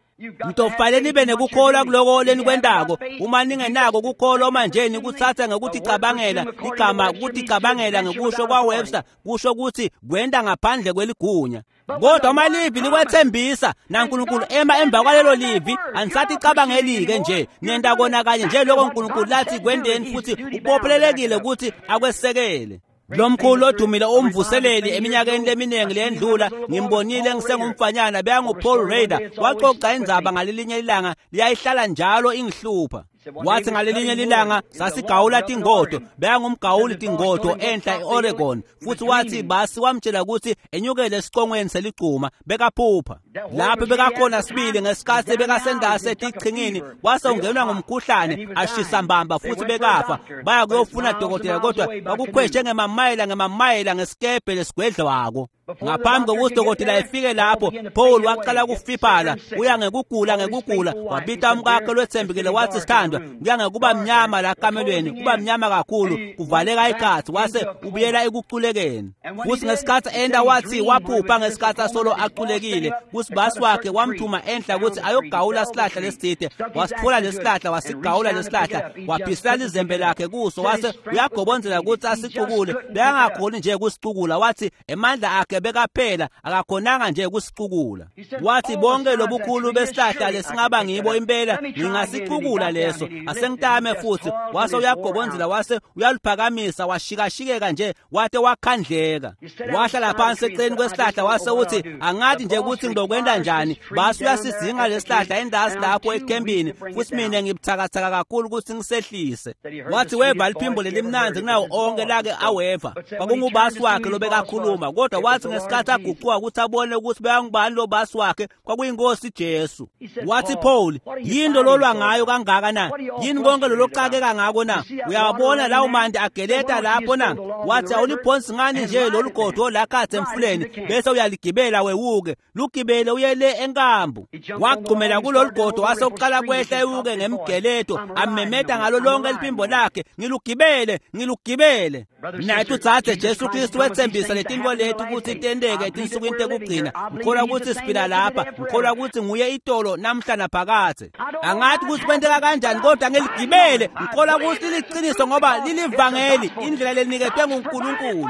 Nitofanele nibe nekukholwa kuloko lenikwentako. Uma ningenako kukholwa manje nikutsatsa ngekuticabangela igama kuticabangela ngekusho kwaWebster kusho kutsi kwenta ngaphandle kweligunya. Kodwa uma livi likwethembisa naNkulunkulu ema emva kwalelo livi, anisaticabangeli-ke nje, nenta kona kanye nje loko Nkulunkulu lathi kwenteni futhi ubophelelekile ukuthi akwesekele. Lomkhulu odumile umvuseleli eminyakeni leminingi leyendlula ngimbonile ngisengumfanyana beyangu-Paul Rader waxoxa indzaba ngalelinye ilanga liyayihlala njalo ingihlupha. Wathi ngalelinye lilanga sasigawula tingodo, beyangumgawuli tingodo enhla e-Oregon, futhi wathi basi wamtshela ukuthi enyukele esicongweni seligcuma bekaphupha. Lapho bekakhona sibili ngesikhathi bekasendase etichingini, wase ungenwa ngumkhuhlane ashisa mbamba futhi bekafa. Baya kuyofuna dokotela kodwa bakukhweshe ngemamayela ngemamayela ngesikebhe lesigwedlwako. Ngaphambi kokuthi dokotela efike lapho, Paul waqala kufiphala, uya ngekugula ngekugula, wabita umkakhe lwethembekile wathi sithandwa, kuya ngekuba mnyama la kamelweni, kuba mnyama kakhulu, kuvaleka ikhathi, wase ubuyela ekuculekeni. Futhi ngesikhathi enda wathi waphupha ngesikhathi asolo aculekile, kuthi basi wakhe wamthuma enhla ukuthi ayogawula sihlahla lesitsite, wasithola lesihlahla, wasigawula lesihlahla, waphisela lizembe lakhe kuso, wase uyagobonzela ukuthi asicukule, bekangakhoni nje kusicukula, wathi emandla akhe bekaphela akakhonanga nje kusicukula. Wathi bonke lobukhulu besihlahla lesingaba ngibo impela ngingasicukula leso, asengitame futhi. Wase uyagobonzela wase uyaluphakamisa washikashikeka nje wate wakhandleka. Wahlala phansi eceleni kwesihlahla wase uthi angathi nje ukuthi ngizokwenta njani, base uyasizinga lesihlahla endasi lapho ekhempini futhi mina ngibuthakathaka kakhulu ukuthi ngisehlise. Wathi weva liphimbo lelimnandzi kunawo onke lake aweva, kwakungubasi wakhe lobekakhuluma, kodwa wathi ngesikhathi aguquka ukuthi abone ukuthi beyangubani lo basi wakhe kwakuyinkosi Jesu. Wathi Paul, yini lolwa ngayo kangaka na? Yini konke loloxakeka ngako na? Uyabona lawo mandi ageleta lapho na? Wathi awuliphonsi ngani nje lolu godo lakhathe emfuleni bese uyaligibela wewuke, lugibele uye le enkambu. Wagxumela kulolu godo wase uqala kwehla ewuke ngemgeleto, amemeta ngalo lonke liphimbo lakhe, ngilugibele, ngilugibele. Mnaketfu dzadze, Jesu Kristu wethembisa letintfo leti ukuthi tenteke etinsukwini tekugcina. Ngikholwa ukuthi siphila lapha, ngikholwa ukuthi nguye itolo namhla naphakadze. Angathi ukuthi kwenteka kanjani kodwa ngiligibele, ngikholwa ukuthi liliqiniso ngoba lilivangeli, indlela leniketwe nguNkulunkulu.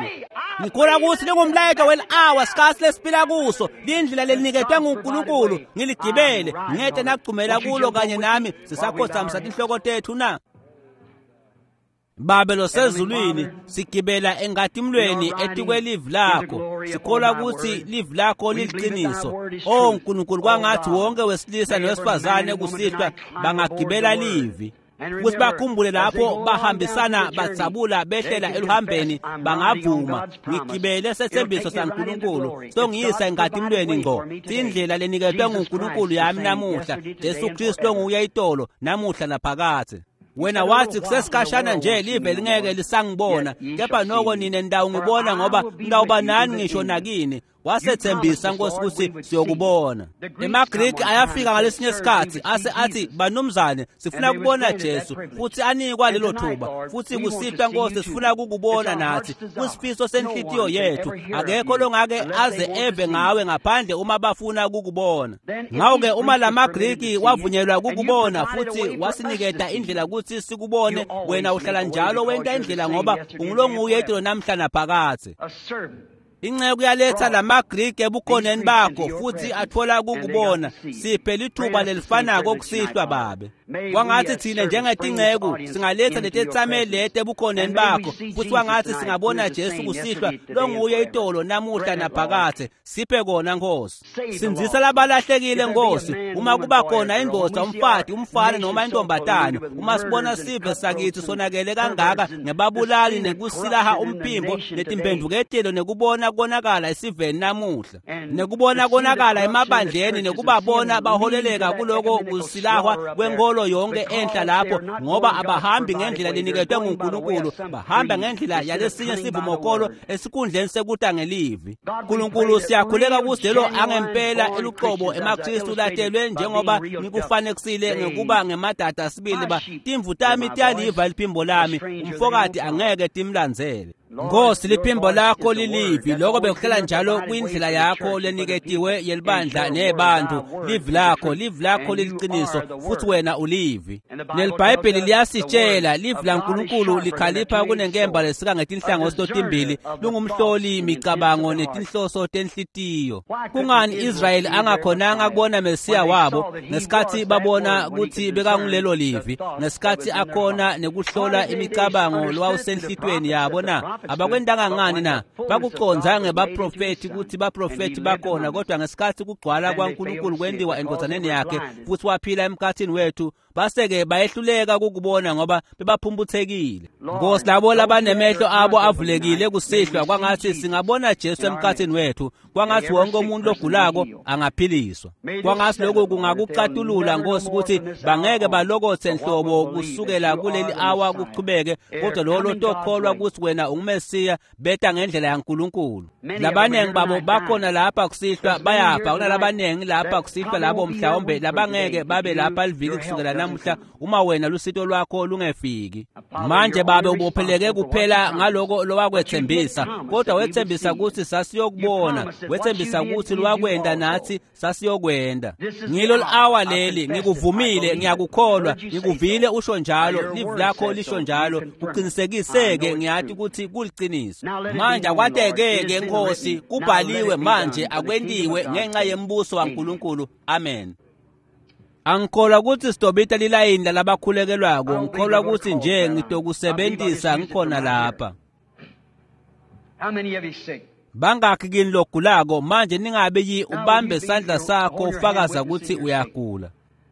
Ngikholwa ukuthi lingumlayeto wel-hour sikhathi lesiphila kuso, lindlela leniketwe nguNkulunkulu, ngiligibele, ngete nagcumela kulo kanye nami sisakhothamisa tinhloko tethu na. Babe losezulwini, sigibela enkatimulweni etikwelivi lakho, sikholwa ukuthi livi lakho liliqiniso. Oh Nkulunkulu, kwangathi wonke wesilisa nowesifazane kusihlwa bangagibela livi futhi bakhumbule lapho bahambisana batsabula behlela eluhambeni, bangavuma ngigibele sethembiso saNkulunkulu songiyisa enkatimulweni ngco, indlela leniketwe nguNkulunkulu yami namuhla, Jesu Kristu onguye itolo namuhla naphakadze. Wena wathi kusesikhashana nje live lingeke lisangibona, kepha noko nine nitawungibona ngoba ngitawuba nani ngisho nakini. Wasethembisa Nkosi ukuthi siyokubona. EmaGriki ayafika ngalesinye isikhathi ase athi banumzane sifuna kubona Jesu, futhi anikwa lelo thuba. Futhi kusihlwa Nkosi sifuna ukukubona nathi, kusifiso senhlitiyo yethu. Akekho longake aze eve ngawe ngaphandle uma bafuna ukukubona. Ngakho-ke uma lamaGriki wavunyelwa ukukubona futhi wasiniketa indlela ukuthi sikubone, wena uhlala njalo wenta indlela ngoba ungulonguye itolo namhla naphakadze. Inceku yaletha lamaGriki ebukhoneni bakho futhi athola ukukubona. Siphe lithuba lelifanako kusihlwa Babe. Kwangathi thina njengetinceku singaletha letetsameli leti ebukhoneni bakho futhi kwangathi singabona Jesu kusihlwa longuye itolo namuhla naphakadze. Siphe kona Nkosi. Sindzisa labalahlekile Nkosi. Uma kuba khona indvodza, umfati, umfana noma intombatane, uma sibona sive sakithi sonakele kangaka ngebabulali nekusilaha umphimbo netimphendvuketelo nekubona nekubona konakala esiveni namuhla, nekubona konakala emabandleni, nekubabona baholeleka kuloko kusilahwa kwenkolo yonke enhla lapho, ngoba abahambi ngendlela leniketwe nguNkulunkulu, bahamba ngendlela yalesinye sivumokolo esikhundleni sekuta ngelivi. Nkulunkulu, siyakhuleka ukuthi lelo angempela eluqobo emaKristu latelwe njengoba ngikufanekisile ngekuba ngemadada sibili ba timvu tami tiyaliva liphimbo lami, umfokati angeke timlandzele. Nkosi, liphimbo lakho lilivi, lokho bekuhlala njalo kwindlela yakho leniketiwe yelibandla nebantu. Livi lakho, livi lakho liliqiniso, futhi wena ulivi. NeliBhayibheli liyasitshela, livi laNkulunkulu likhalipha kunenkemba lesika ngetinhlangothi totimbili, lungumhloli imicabango netinhloso tenhlitiyo. Kungani Israyeli angakhonanga kubona Mesiya wabo ngesikhathi babona ukuthi bekangulelo livi, ngesikhathi akhona nekuhlola imicabango lowawusenhlitweni yabo na? Abakwentanga ngani na? Bakuconza ngebaprofethi ukuthi baprofethi bakhona, kodwa ngesikhathi kugcwala kwaNkulunkulu kwendiwa endvodzaneni yakhe futhi waphila emkhathini wethu, base-ke bayehluleka ukukubona ngoba bebaphumputhekile. Nkosi, labo labanemehlo abo avulekile kusihlwa, kwangathi singabona Jesu emkhathini wethu, kwangathi wonke umuntu ogulako angaphiliswa. Kwangathi lokhu kungakucatulula, Nkosi, ukuthi bangeke balokothe nhlobo kusukela kuleli awa kuchubeke, kodwa lolo tokholwa ukuthi wena unguMesiya beta ngendlela yaNkulunkulu. Labanengi babo bakhona lapha kusihlwa bayafa, kunalabanengi lapha kusihlwa labo mhlawumbe labangeke babe lapha liviki kusukela namuhla uma wena lusito lwakho lungefiki. Manje babe ubopheleke kuphela ngaloko lowakwethembisa, kodwa wethembisa ukuthi sasiyokubona, wethembisa ukuthi lwakwenda nathi sasiyokwenda. Ngilo awa leli, ngikuvumile, ngiyakukholwa, ngikuvile usho njalo, livi lakho lisho njalo, kuqinisekiseke, ngiyathi ukuthi kuliqiniso. Manje akwateke-ke Nkosi, kubhaliwe manje akwentiwe ngenxa yembuso waNkulunkulu. Amen. Angikholwa ukuthi sitobita lilayini lalabakhulekelwako, ngikholwa ukuthi nje ngitokusebentisa ngikhona lapha. Bangakhi kini logulako manje ningabe yi ubambe sandla sakho ufakaza ukuthi uyagula.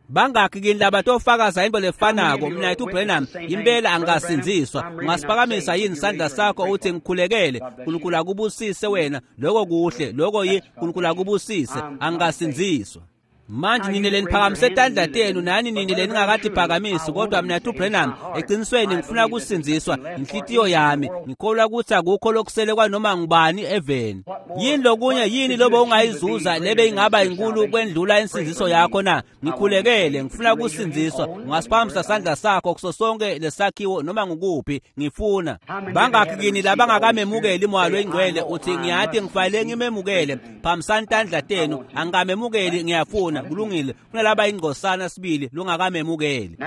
Bangakhi kini labatofakaza into lefanako, mina yethu Branham impela angasinziswa. Ungasiphakamisa yini sandla sakho uthi ngikhulekele, uNkulunkulu akubusise wena, lokho kuhle, lokho yi uNkulunkulu akubusise, angasinziswa. Manje nina leniphakamise tandla tenu nani nina leningakatiphakamisi, kodwa mina yethu Branham eqinisweni ngifuna ukusinziswa inhlitiyo yami, ngikholwa ukuthi akukho lokusele kwanoma ngubani eveni. Yini lokunye yini lobo ungayizuza lebe ingaba inkulu kwendlula insindziso yakho na? Ngikhulekele, ngifuna ukusindziswa. Ungasiphakamisa sandla sakho kuso sonke lesakhiwo noma ngukuphi, ngifuna. Bangakhi kini labangakamemukeli uMoya loyiNgcwele uthi ngiyathi ngifanele ngimemukele, phakamisani tandla tenu, angikamemukeli ngiyafuna. Kulungile, kunalaba ingcosana sibili lungakamemukeli.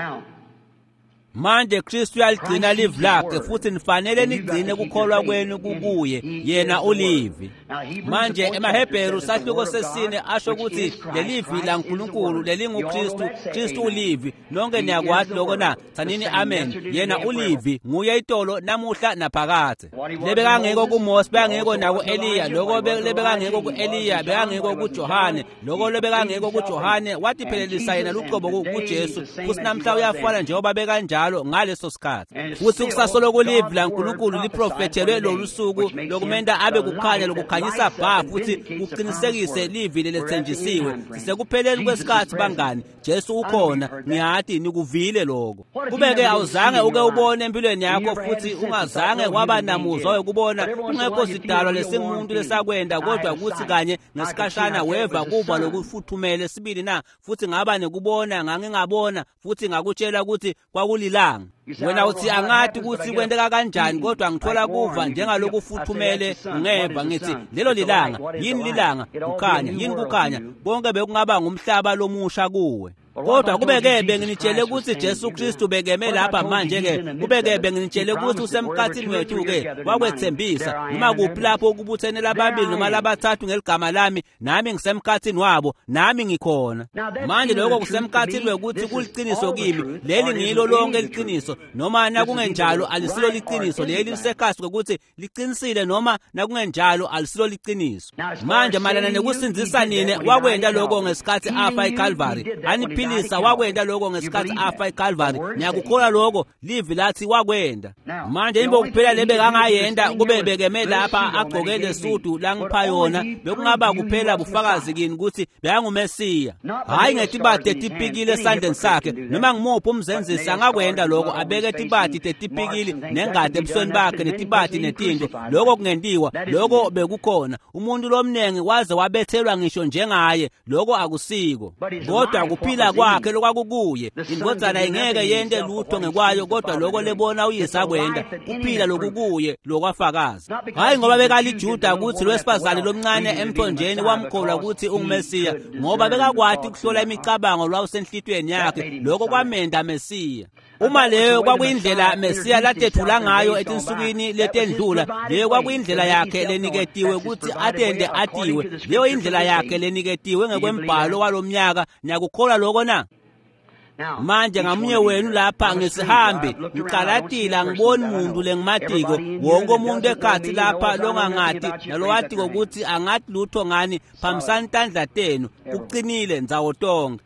Manje Kristu uyaligcina livi lakhe futhi nifanele nigcine kukholwa kwenu kukuye, yena ulivi. Manje emaHebheru sahluko sesine asho ukuthi lelivi laNkulunkulu lelinguKristu, Kristu ulivi. Nonke niyakwazi lokho na? Thanini amen. Yena ulivi, nguye itolo namuhla naphakade. Lebekangekho kuMose, bekangekho naku-Eliya, lokho lebekangekho ku-Eliya, bekangekho kuJohane, lokho lebekangekho kuJohane watiphelelisa yena luqobo kuJesu, futhi namhla uyafana njengoba bekanjalo ngaleso sikhathi. Futhi kusasolo kulivi laNkulunkulu liprofethelwe lolu suku lokumenda abe kukhanya lokukhanyisa bha futhi kuqinisekise livi lelethenjisiwe. Sisekupheleni kwesikhathi bangani, Jesu ukhona, ngiyathi nikuvile lokho. Kubeke awuzange uke ubone empilweni yakho futhi ungazange waba namuzwa wokubona, kungekho sidalwa lesingumuntu lesakwenda, kodwa kuthi kanye ngesikhashana weva kuva lokufuthumele sibili na, futhi ngaba nekubona, ngangingabona futhi ngakutshela ukuthi kwakulilanga. Wena uthi angathi ukuthi kwenteka kanjani, kodwa ngithola kuva njengalokufuthumele ngeva, ngithi lelo lilanga. Yini lilanga? Kukhanya. Yini kukhanya? Konke bekungaba ngumhlaba lomusha kuwe. Kodwa kubeke benginitshele ukuthi Jesu Kristu bekeme lapha manje ke, kubeke benginitshele ukuthi usemkhathini wethu ke, wakwethembisa noma kuphi lapho kubuthene lababili noma labathathu ngeligama lami, nami ngisemkhathini wabo, nami ngikhona. Manje lokho kusemkhathini wekuthi kuliqiniso kimi, leli ngilo lonke liqiniso, noma nakungenjalo alisilo liqiniso, leli lisekhasi ukuthi liqinisile noma nakungenjalo alisilo liqiniso. Manje malana nekusindzisa nine, wakwenda lokho ngesikhathi afa eCalvary. Waphilisa, wakwenta lokho ngesikhathi afa eCalvary. Niyakukholwa lokho? Livi lathi wakwenta. Manje imbo kuphela lebekangayenta kube bekeme lapha agcoke lesudu langipha yona, bekungaba kuphela bufakazi kini ukuthi bekanguMesiya. Hhayi ngetibati tetipikili esandleni sakhe, noma ngimuphi umzenzisi angakwenta lokho, abeke tibati tetipikili nengati ebusweni bakhe netibati netinto. Lokho kungentiwa, lokho bekukhona. Umuntu lomnengi waze wabethelwa ngisho njengaye, lokho akusiko. Kodwa kuphila kwakhe lokwakukuye. Indvodzana ingeke yente lutho ngekwayo, kodwa lokho lebona uyise akwenta, kuphila lokukuye lokwafakaza. Hhayi ngoba bekaliJuda ukuthi lowesifazane lomncane emthonjeni wamkholwa ukuthi unguMesiya, ngoba bekakwati ukuhlola imicabango lwawusenhlitweni yakhe, lokho kwamenda Mesiya. Uma leyo kwakuyindlela Mesiya latethula ngayo etinsukwini letendlula, leyo kwakuyindlela yakhe leniketiwe ukuthi atende atiwe, leyo indlela yakhe leniketiwe ngekwembhalo walomnyaka. Niyakukholwa lokho na? Manje ngamunye wenu lapha ngisihambi, ngicalatile, angiboni muntu lengimatiko. Wonke umuntu ekhathi lapha longangati nalowatiko ukuthi angathi lutho ngani, phambisani tandla tenu, kuqinile ndzawo tonke.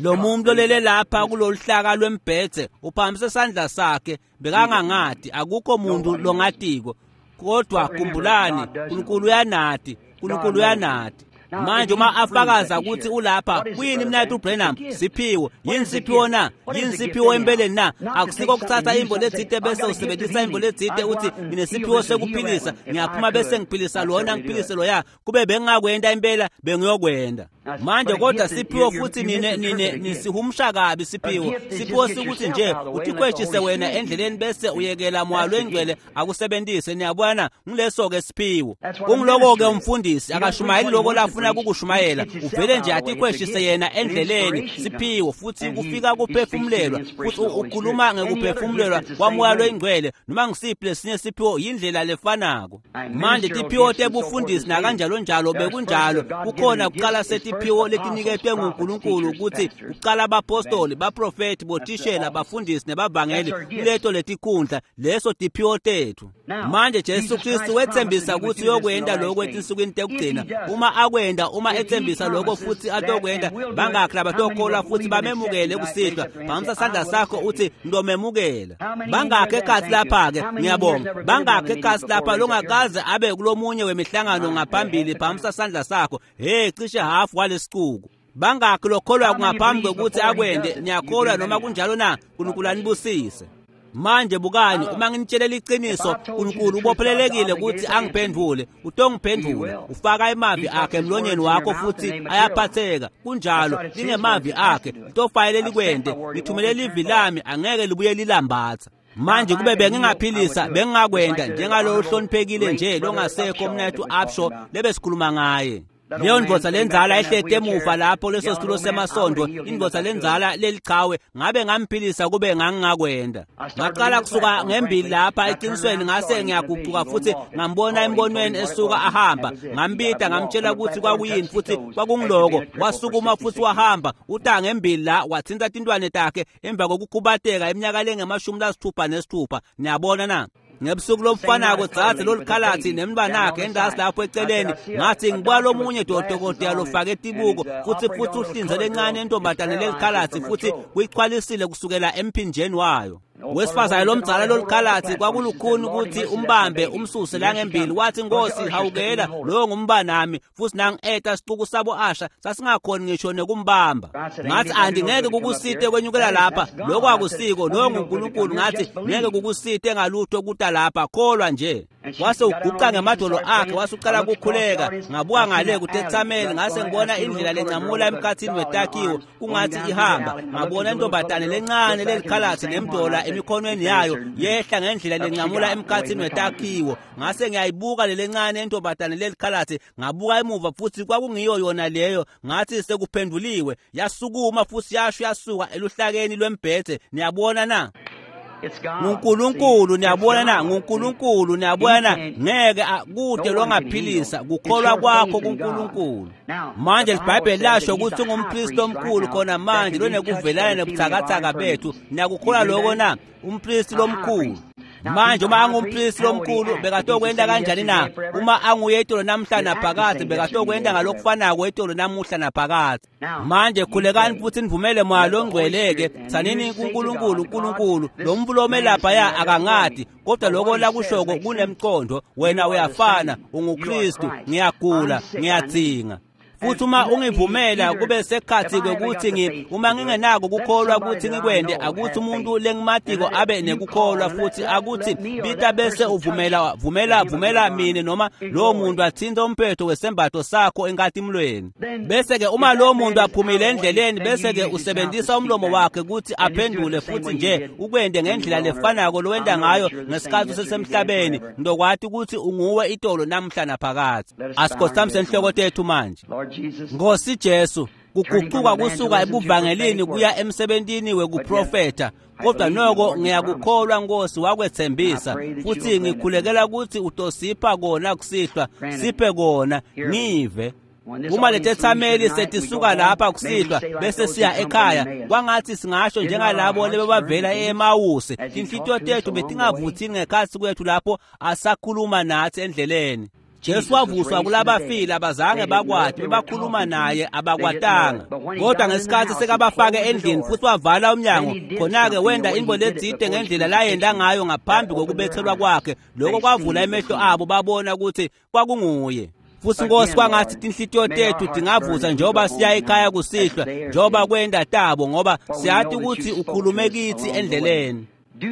Lo muntu lolele lapha kuloluhlaka lwembhedze uphakamise isandla sakhe, bekangangati, akukho muntu longatiko. Kodwa khumbulani, uNkulunkulu uyanati, uNkulunkulu uyanati. Manje uma afakaza ukuthi ulapha, kuyini mnayethu Branham? Siphiwo. Yini siphiwo na? Yini siphiwo empeleni na? Akusiko kuthatha imbo letsite bese usebenzisa imbo letsite uthi nginesiphiwo sekuphilisa, ngiyaphuma bese ngiphilisa lona ngiphilise loya. Kube bengingakwenta impela bengiyokwenta. Manje kodwa siphiwo futhi nine nine nisihumusha kabi siphiwo. Siphiwo sikuthi nje utikhweshise wena endleleni bese uyekela moya lwengcwele akusebenzise. Niyabona, ngileso ke siphiwo. Kungiloko ke umfundisi akashumayeli lokho lafuna kukushumayela, uvele nje atikhweshise yena endleleni. Siphiwo futhi kufika kuphefumulelwa, futhi ukhuluma ngekuphefumulelwa kwamoya lwengcwele. Noma ngisiphi lesinye siphiwo yindlela lefanako. Manje tiphiwo tebufundisi nakanjalo njalo bekunjalo, kukhona kuqala setiphiwo letiniketwe nguNkulunkulu ukuthi kuqala abapostoli, baprofeti, bothishela, bafundisi nebavangeli kuleto letikhundla. Leso tiphiwo tethu. Manje Jesu Kristu wethembisa ukuthi uyokwenta lokho etinsukwini tekugcina. Uma akwenda, uma ethembisa lokho futhi atokwenda, bangakhi labatokholwa futhi bamemukele kusihlwa? Phakamisa isandla sakho uthi ngitomemukela. Bangakhi ekhathi lapha-ke? Ngiyabonga. Bangakhi ekhathi lapha longakaze abe kulomunye wemihlangano ngaphambili? Phakamisa isandla sakho. Hey, cishe hafu walesicuku. Bangakhi lokholwa ngaphambi kokuthi akwende? Niyakholwa noma kunjalo na? uNkulunkulu anibusise. Manje bukani, uma nginitshelela iqiniso, uNkulunkulu ubophelelekile ukuthi angiphendule. Utongiphendula. Ufaka emavi akhe emlonyeni wakho futhi ayaphatheka. Kunjalo, lingemavi akhe. Litofanele likwente. Ngithumele livi lami, angeke libuye lilambatha. Manje kube bengingaphilisa, bengingakwenta njengalo uhloniphekile nje longasekho mnethu Upshaw lebesikhuluma ngaye. Leyo ndvodza lenzala ehleti emuva lapho leso situlo semasondo, indvodza lenzala lelichawe, ngabe ngamphilisa kube ngangingakwenda. Ngaqala kusuka ngembili lapha eqinisweni, ngase ngiyaguquka futhi ngambona embonweni esuka ahamba. Ngambita ngamtshela ukuthi kwakuyini futhi kwakungiloko. Wasukuma futhi wahamba uta ngembili la, wathinta tintwane takhe emva kokukhubateka iminyaka lengemashumi lasithupha nesithupha. Niyabona na? Ngebusuku lobufanako dzadze lolukhalathi nemntwanakhe endasi lapho eceleni, ngathi ngibuka lomunye dodokotela lofake tibuko futhi futhi uhlinze lencane intombazane lelikhalathi futhi kuyichwalisile kusukela emphinjeni wayo. Wesifazane lomdzala lolukhalathi kwakulukhuni ukuthi umbambe umsuse langembili. Wathi, Nkosi hawukela, loyo ngumbanami. Futhi nangi-eta sicuku sabo asha sasingakhoni ngisho nekumbamba. Ngathi andingeke kukusite kwenyukela lapha, lokho akusiko, loyo nguNkulunkulu. Ngathi ngeke kukusite ngalutho kuta lapha, kholwa nje. Wase uguqa ngemadolo akhe, wase uqala ukukhuleka. Ngabuka ngale kutethameli, ngase ngibona indlela lencamula emkhathini wetakhiwo kungathi ihamba. Ngabona intombazane lencane lelikhalathi nemdola emikhonweni yayo yehla ngendlela lencamula emkhathini wetakhiwo. Ngase ngiyayibuka lelencane intombazane lelikhalathi, ngabuka emuva futhi kwakungiyo yona leyo. Ngathi sekuphenduliwe. Yasukuma futhi yasho yasuka eluhlakeni lwembhede. Niyabona na? nguNkulunkulu, niyabona na? nguNkulunkulu, niyabona na? Ngeke kude longaphilisa kukholwa kwakho kuNkulunkulu. Manje iBhayibheli lasho ukuthi ungumpristi omkhulu khona manje lonekuvelana nebuthakathaka bethu. Niyakukholwa lokho na? Umpristi lomkhulu. Manje uma angumpristi lomkhulu bekatokwenta kanjani na? Uma anguye itolo namuhla naphakadze, bekatokwenta ngalokufanako itolo namuhla naphakadze. Manje khulekani futhi nivumele Moya Longcwele-ke, tsanini kuNkulunkulu, uNkulunkulu lo muntu lome laphaya akangati, kodwa lokho lakushoko kunemqondo. Wena uyafana, unguKristu, ngiyagula, ngiyadzinga. Futhi uma ungivumela kube sekhathi kwekuthi ngi uma ngingenako kukholwa ukuthi ngikwende, akuthi umuntu lengimatiko abe nekukholwa, futhi akuthi bita bese uvumela vumela vumela mina noma lowo muntu athinte umphetho wesembatho sakho enkatimulweni. Bese ke uma lowo muntu aphumile endleleni, bese ke usebenzisa umlomo wakhe ukuthi aphendule futhi nje ukwende ngendlela lefanako lowenda ngayo ngesikhathi usesemhlabeni, ndokwati ukuthi unguwe itolo namhla naphakadze. Asikhothamise inhloko tethu manje. Nkosi Jesu, kuguquka kusuka ebuvangelini kuya emsebentini wekuprofetha, kodwa noko ngiyakukholwa Nkosi wakwethembisa, futhi ngikhulekela ukuthi utosipha kona kusihlwa, siphe kona, ngive. Uma letethameli setisuka lapha kusihlwa bese siya ekhaya, kwangathi singasho njengalabo lebebavela e-Emawusi, tinhlitiyo tethu betingavuthini ngekhatsi kwethu lapho asakhuluma nathi endleleni. Jesu wavuswa kulabafile, abazange bakwati, bebakhuluma naye abakwatanga. Kodwa ngesikhathi sekabafake endlini futhi wavala umnyango, khona-ke wenda into letsite ngendlela layenda ngayo ngaphambi kokubethelwa kwakhe. Lokho kwavula emehlo abo, babona ukuthi kwakunguye. Futhi Nkosi, kwangathi tinhlitiyo tethu tingavusa njengoba siya ekhaya kusihlwa, njengoba kwenda tabo, ngoba siyati ukuthi ukhulume kithi endleleni.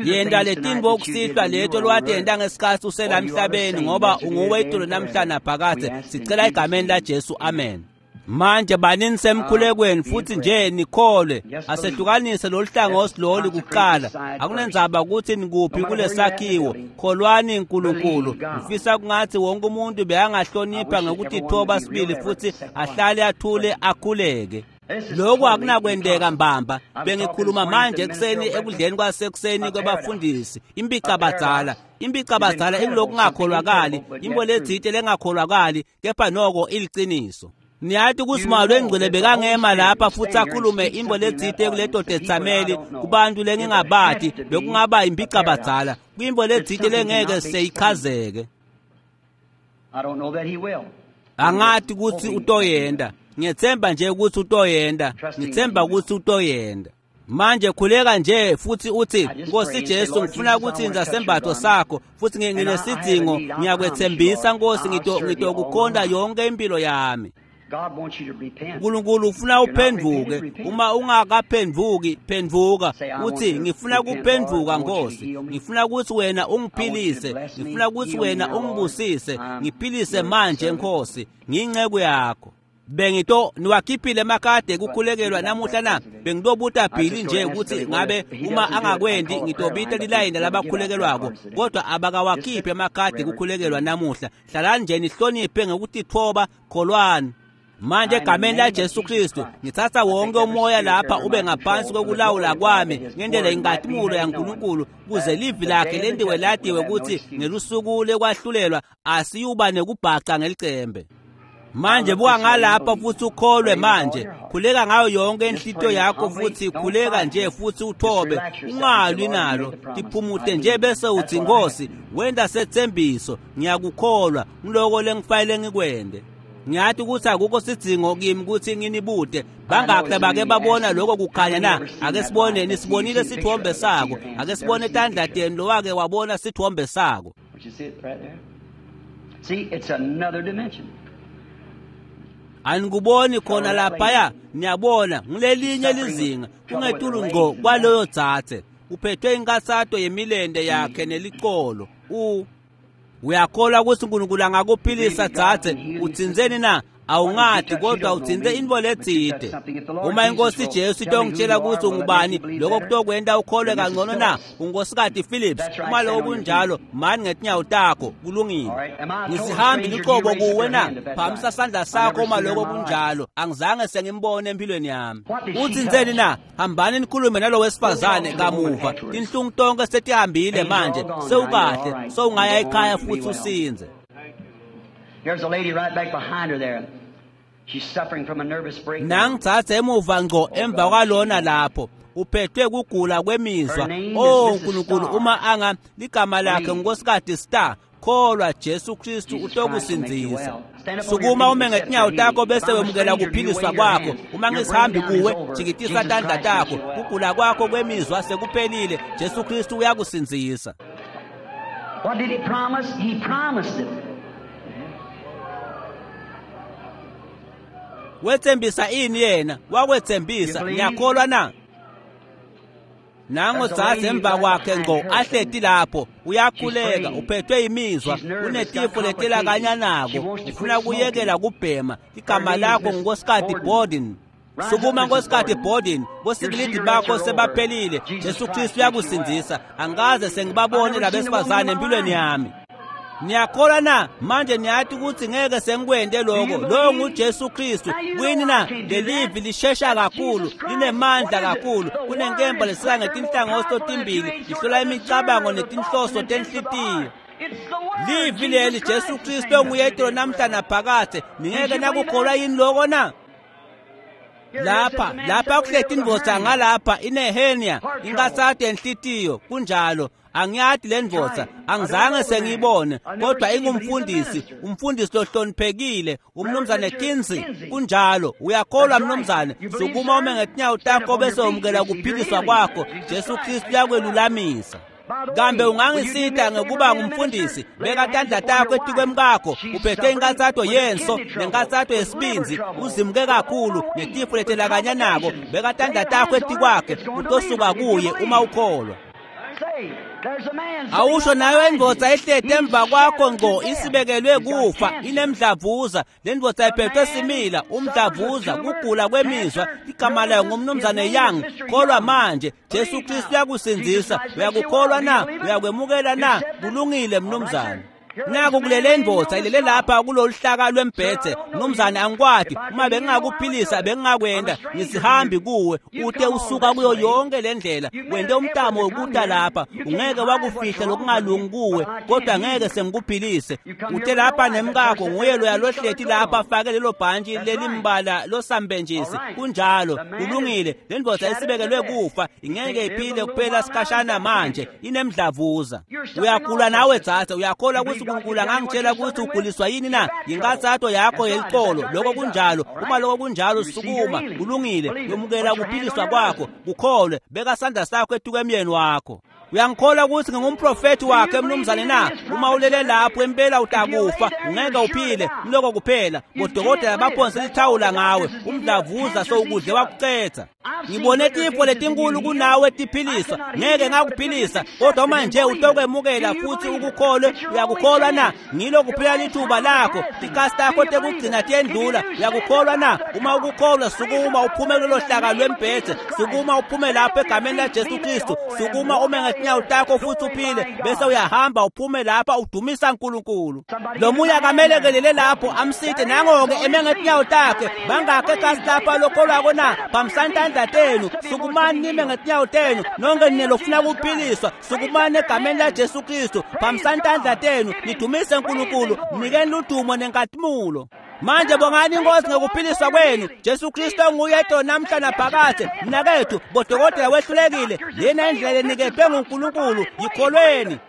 Yenta letinto kusihlwa leto lowatenta ngesikhathi usela emhlabeni, ngoba unguwe itolo namhla naphakadze. Sicela egameni laJesu, amen. Manje banini semkhulekweni futhi nje nikholwe. Asehlukanise lolu hlangothi lolu kuqala. Akunendzaba ukuthi nikuphi kulesakhiwo, kholwani uNkulunkulu. Ngifisa kungathi wonke umuntu beyangahlonipha ngokutithoba sibili futhi ahlale athule akhuleke. Lokhu akunakwendeka mbamba. Bengikhuluma manje ekuseni ekudleni kwasekuseni kwabafundisi, impicabadzala. Impicabadzala ingilokungakholwakali, into letsite lengakholwakali, kepha noko iliciniso. Niyati ukuthi Moya Longcwele bekangema lapha futhi akhulume into letsite kuleto tethameli kubantu lengingabati, bekungaba impicabadzala, kwinto letsite lengeke seyichazeke. Angati ukuthi utoyenda. Ngiyethemba nje ukuthi utoyenda, ngithemba ukuthi utoyenda. Manje khuleka nje futhi uthi, Nkosi Jesu, ngifuna ukuthinta sembatho sakho, futhi nginesidingo, ngiyakwethembisa Nkosi, ngitokukhonda yonke impilo yami. uNkulunkulu ufuna uphenduke. Uma ungakaphenduki, phenduka uthi, ngifuna kuphenduka Nkosi, ngifuna ukuthi wena ungiphilise, ngifuna ukuthi wena ungibusise, ngiphilise manje Nkosi, ngiyinceku yakho. Bengito niwakhiphile emakade kukhulekelwa namuhla na? Bengitobuta Billy nje ukuthi ngabe uma angakwendi ngitobita lilayini labakhulekelwako, kodwa abakawakhiphi emakhadi kukhulekelwa namuhla. Hlalani nje nihloniphe ngokutithoba, kholwani. Manje egameni laJesu Kristu ngithatha wonke umoya lapha ube ngaphansi kokulawula kwami ngendlela inkazimulo yaNkulunkulu, kuze livi lakhe lentiwe latiwe ukuthi ngelusuku lekwahlulelwa asiyuba nekubhaca ngelicembe. Manje buka ngalapha futhi ukholwe manje. Khuleka ngayo yonke inhlitiyo yakho futhi khuleka nje futhi uthobe, ungalwi nalo, tiphumute nje bese uthi, Nkosi, wenda sethembiso, ngiyakukholwa, ngiloko lengifanele ngikwende. Ngiyathi ukuthi akukho sidzingo kimi ukuthi nginibute. Bangakhe bake babona lokho kukhanya na? Ake sibone, nisibonile sithombe sako. Ake sibone tandla tenu lowake wabona sithombe sako. See, it's another dimension. Anikuboni khona laphaya, niyabona ngilelinye lizinga, kungetulu ngqo kwaloyo dzadze. Uphethwe inkathato yemilente yakhe nelicolo. U uyakholwa ukuthi uNkulunkulu angakuphilisa dzadze? Uthintseni na? Awungati, kodwa uthinte into letsite. Uma inkosi Jesu itongitshela ukuthi ungubani, lokho kutokwenta ukholwe kangcono na? Unkosikati Phillips, uma lokho kunjalo, mani ngetinyawo takho, kulungile. Ngisihambi luqobo kuwe na? Phamisa sandla sakho uma lokho kunjalo. Angizange sengimbone empilweni yami. Uthintseni na? Hambani nikhulume nalo wesifazane kamuva. Tinhlungu tonke setihambile manje, sewukahle, sewungaya ekhaya futhi usinze. There's a lady right back behind her there. She's suffering from a nervous breakdown. Nangitsatsa emuva ngco emva kwalona lapho. Uphethwe kugula kwemizwa. Her name is Oh Missus Nkulunkulu, Starr. uma anga ligama lakhe Believe. nguNkosikati Star, kholwa Jesu Kristu Jesus Christ will make you utokusindzisa. well. Stand up on your Sukuma feet ume and accept ngetinyawo your takho healing. bese If I'm a wemukela stranger to you, kuphiliswa wave your kwakho. hands. Uma Your ngisihambi breakdown is kuwe, over. jikitisa Jesus tandla Christ makes takho. you well. Kugula kwakho kwemizwa sekuphelile. Jesu Kristu uyakusindzisa. What did he promise? He promised it. Wethembisa ini yena? Wakwethembisa. You believe? Niyakholwa na? Nango There's a dzadze lady emva right kwakhe behind ngqo her. ahleti lapho uyakhuleka, She's praying. uphethwe imizwa, She's nervous, unetifo got letela complications. kanyanako, She wants to ufuna quit kuyekela smoking. kubhema. Igama Her name is lakho Miss nguNkosikati Borden. Borden. Rise up, Sukuma Missus Nkosikati Borden. Borden, Your bosikilidi cigarettes bakho are over. sebaphelile. Jesus Jesu Christ Kristu makes you uyakusindzisa. Angaze sengibabone I've never seen a woman labesifazane in my empilweni life. yami. Niyakholwa na? Manje niyati ukuthi ngeke sengikwente Do lokho. you Lowo believe? nguJesu Kristu. Now you know Kuyini I na? can't do Lelivi that. lishesha That's kakhulu, Jesus Christ. linemandla What is it? kakhulu. The word Kunenkemba is lesika quicker, more ngetinhlangothi powerful than a totimbili, two-edged sword, ihlola the imicabango discerner of the thoughts netinhloso and intents of the tenhlitiyo. heart. It's the word, Livi Jesus leli Christ, Jesu the Kristu same onguye yesterday, itolo namhla forever. naphakade. Did Ningeke you believe nakukholwa that? yini loko na? Here, here sits Lapha a man lapha sitting over here kuhleti with a indvodza hernia, ngalapha inehernia, heart trouble. inkatsato yenhlitiyo. Kunjalo, angiyati le That's ndvodza, right. I don't angizange know the man. sengiyibone, I've never kodwa seen him, but he's a ingumfundisi, minister. umfundisi lohloniphekile, Reverend umnumzane Richard Kinsey. Kinsey. Kunjalo, uyakholwa That's right. mnumzane. You believe, Sukuma ume sir? ngetinyawo Stand up takho on your bese feet. wemukela Receive your kuphiliswa healing. kwakho. Jesus Jesu Christ Kristu makes you well. uyakwelulamisa. By the Kambe way, will you do me a ungangisita favor ngekuba being a minister? ngumfundisi? Lay your Beka hands tandla upon takho your wife. etikwemkakho. She's Uphethwe suffering inkatsato with yenso kidney trouble, nenkatsato with liver yesibindzi, trouble, uzimuke with kakhulu overweight, netifo with letelakanyanako. complications. Beka Lay tandla your takho hands on her. etikwakhe, It's going to leave utosuka her if you kuye uma believe. ukholwa. Say, there's a man sitting Awusho right nayo behind indvodza you. ihleti He's emva kwakho shattered to ngqo, death. isibekelwe He's got kufa, cancer. inemdlavuza. Le ndvodza The iphethwe man simila, suffers with umdlavuza, tumor, kugula kwemizwa. cancer, Igama layo nervousness. His ngumnumzane name is Young. Mister Kholwa Young. manje, Jesu Believe Kristu now. Jesus uyakusindzisa. Christ makes you Uyakukholwa well. Do you na? believe it? Uyakwemukela You na? accept it? Kulungile All right, sir. mnumzane. Here lays Naku a man kulele named ndvodza Noah ilele Scott. lapha kulolu hlaka Sir, I lwembhedze. don't know Mnumzane you. angikwati, If I uma could heal you, I would bengingakuphilisa do it. I'm a bengingakwenta. stranger to Ngisihambi you. kuwe, You ute come all usuka this kuyo way. yonke le ndlela. You made Wente an effort umtamo to come wokuta here. lapha, You can't ungeke hide what's wakufihla wrong from me, lokungalungi kuwe, but I can't kodwa heal ngeke you. sengikuphilise. You come here Ute with your lapha wife. That nemkakho, person nguye there loya with these lohleti colored lapha coat on. afake lelo bhantshi That's right. lelimbala All losambenjisi. right. Kunjalo, The man is kulungile. Le ndvodza shattered to isibekelwe death. kufa, He ingeke can't live a iphile little kuphela while now. He's sikhashana got manje, cancer. inemdlavuza. You're suffering Uyagula also, nawe sister. dzadze, uyakholwa You ukuthi believe God uNkulunkulu can tell you what angangitshela you're ukuthi suffering with? uguliswa yini Your na? back trouble. Yinkatsato yakho That's right. Is that yelicolo. right? Lokho Raise up. kunjalo. All Uma right. lokho kunjalo You receive your sukuma, healing. kulungile. Believe it. Yomukela Put your hand on ukuphiliswa your kwakho, husband. kukholwe. Beka sandla sakho etukwemyeni wakho. Uyangikholwa ukuthi ngingumprofethi Do you wakhe believe mnumzane me to na? be his Uma prophet, ulele sir? lapho impela If you lay utakufa, there, ungeke you're sure to uphile. die. Mloko kuphela. You Bodokotela can't live. baphonse That's all lithawula the ngawe. doctors is give you. Umdlavuza Cancer's eat sowukudle you up. wakucetha. I've seen Ngibone greater tifo cases than you letinkulu healed. kunawe I tiphiliswa. cannot heal Ngeke you, but if you just ngakuphilisa, accept kodwa it uma and nje believe it. Do utokwemukela you futhi believe it? ukukholwe, It's your only uyakukholwa na? chance. Ngilo Your kuphela last lithuba time of lakho. passing. Tikasi Do takho you believe tekugcina it? If you tiyendlula. do, stand Uyakukholwa up na? out of that Uma cot. ukukholwa Raise sukuma up out uphume there in kulolo the hlaka name of lwembhedze. Jesus Christ. Sukuma uphume Stand lapho on your egameni feet, laJesu be made Kristu. whole, and Sukuma walk ume out of ngetinyawo here takho futhi uphile, glorifying bese God. uyahamba uphume lapha udumisa uNkulunkulu. Somebody Lo give him munye a hand there. akamelekelele Help lapho him. amsite There he is nangoke on eme his ngetinyawo feet. How takhe. many in here Bangakhe believe? kasi Raise lapha up your lokholwako hands. na? Stand up on your Phambisani feet. tandla The tenu, rest of you wants to sukumani be nime healed. ngetinyawo tenu. Stand up in the Nonke name nine of lofuna Jesus Christ. kuphiliswa, Raise up sukumani your egameni hands. laJesu Kristu. Praise Phambisani tandla God. tenu, Give him nidumise praise and uNkulunkulu, glory. mnikeni ludumo nenkatimulo. Manje Now, bongani thank inkosi the Lord for ngokuphiliswa your kwenu. healing. Jesu Kristu Jesus onguye Christ, itolo the namhla same naphakade. yesterday, today, and Mnakethu, forever. bodokotela Brother, the wehlulekile. doctors have Lena indlela failed. This is eniketwe God's nguNkulunkulu, provided way. Believe yikholweni. it.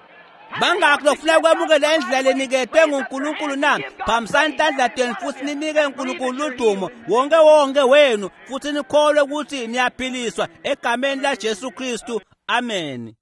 How many Bangakhi wants to lofuna accept God's kwemukela indlela provided way? leniketwe Raise up your nguNkulunkulu hands na? and give God Phambisani praise. tandla Every tenu one of futhi you. ninike Believe that uNkulunkulu you're udumo healed. wonke wonke wenu futhi nikholwe ukuthi niyaphiliswa egameni laJesu Kristu. Amen.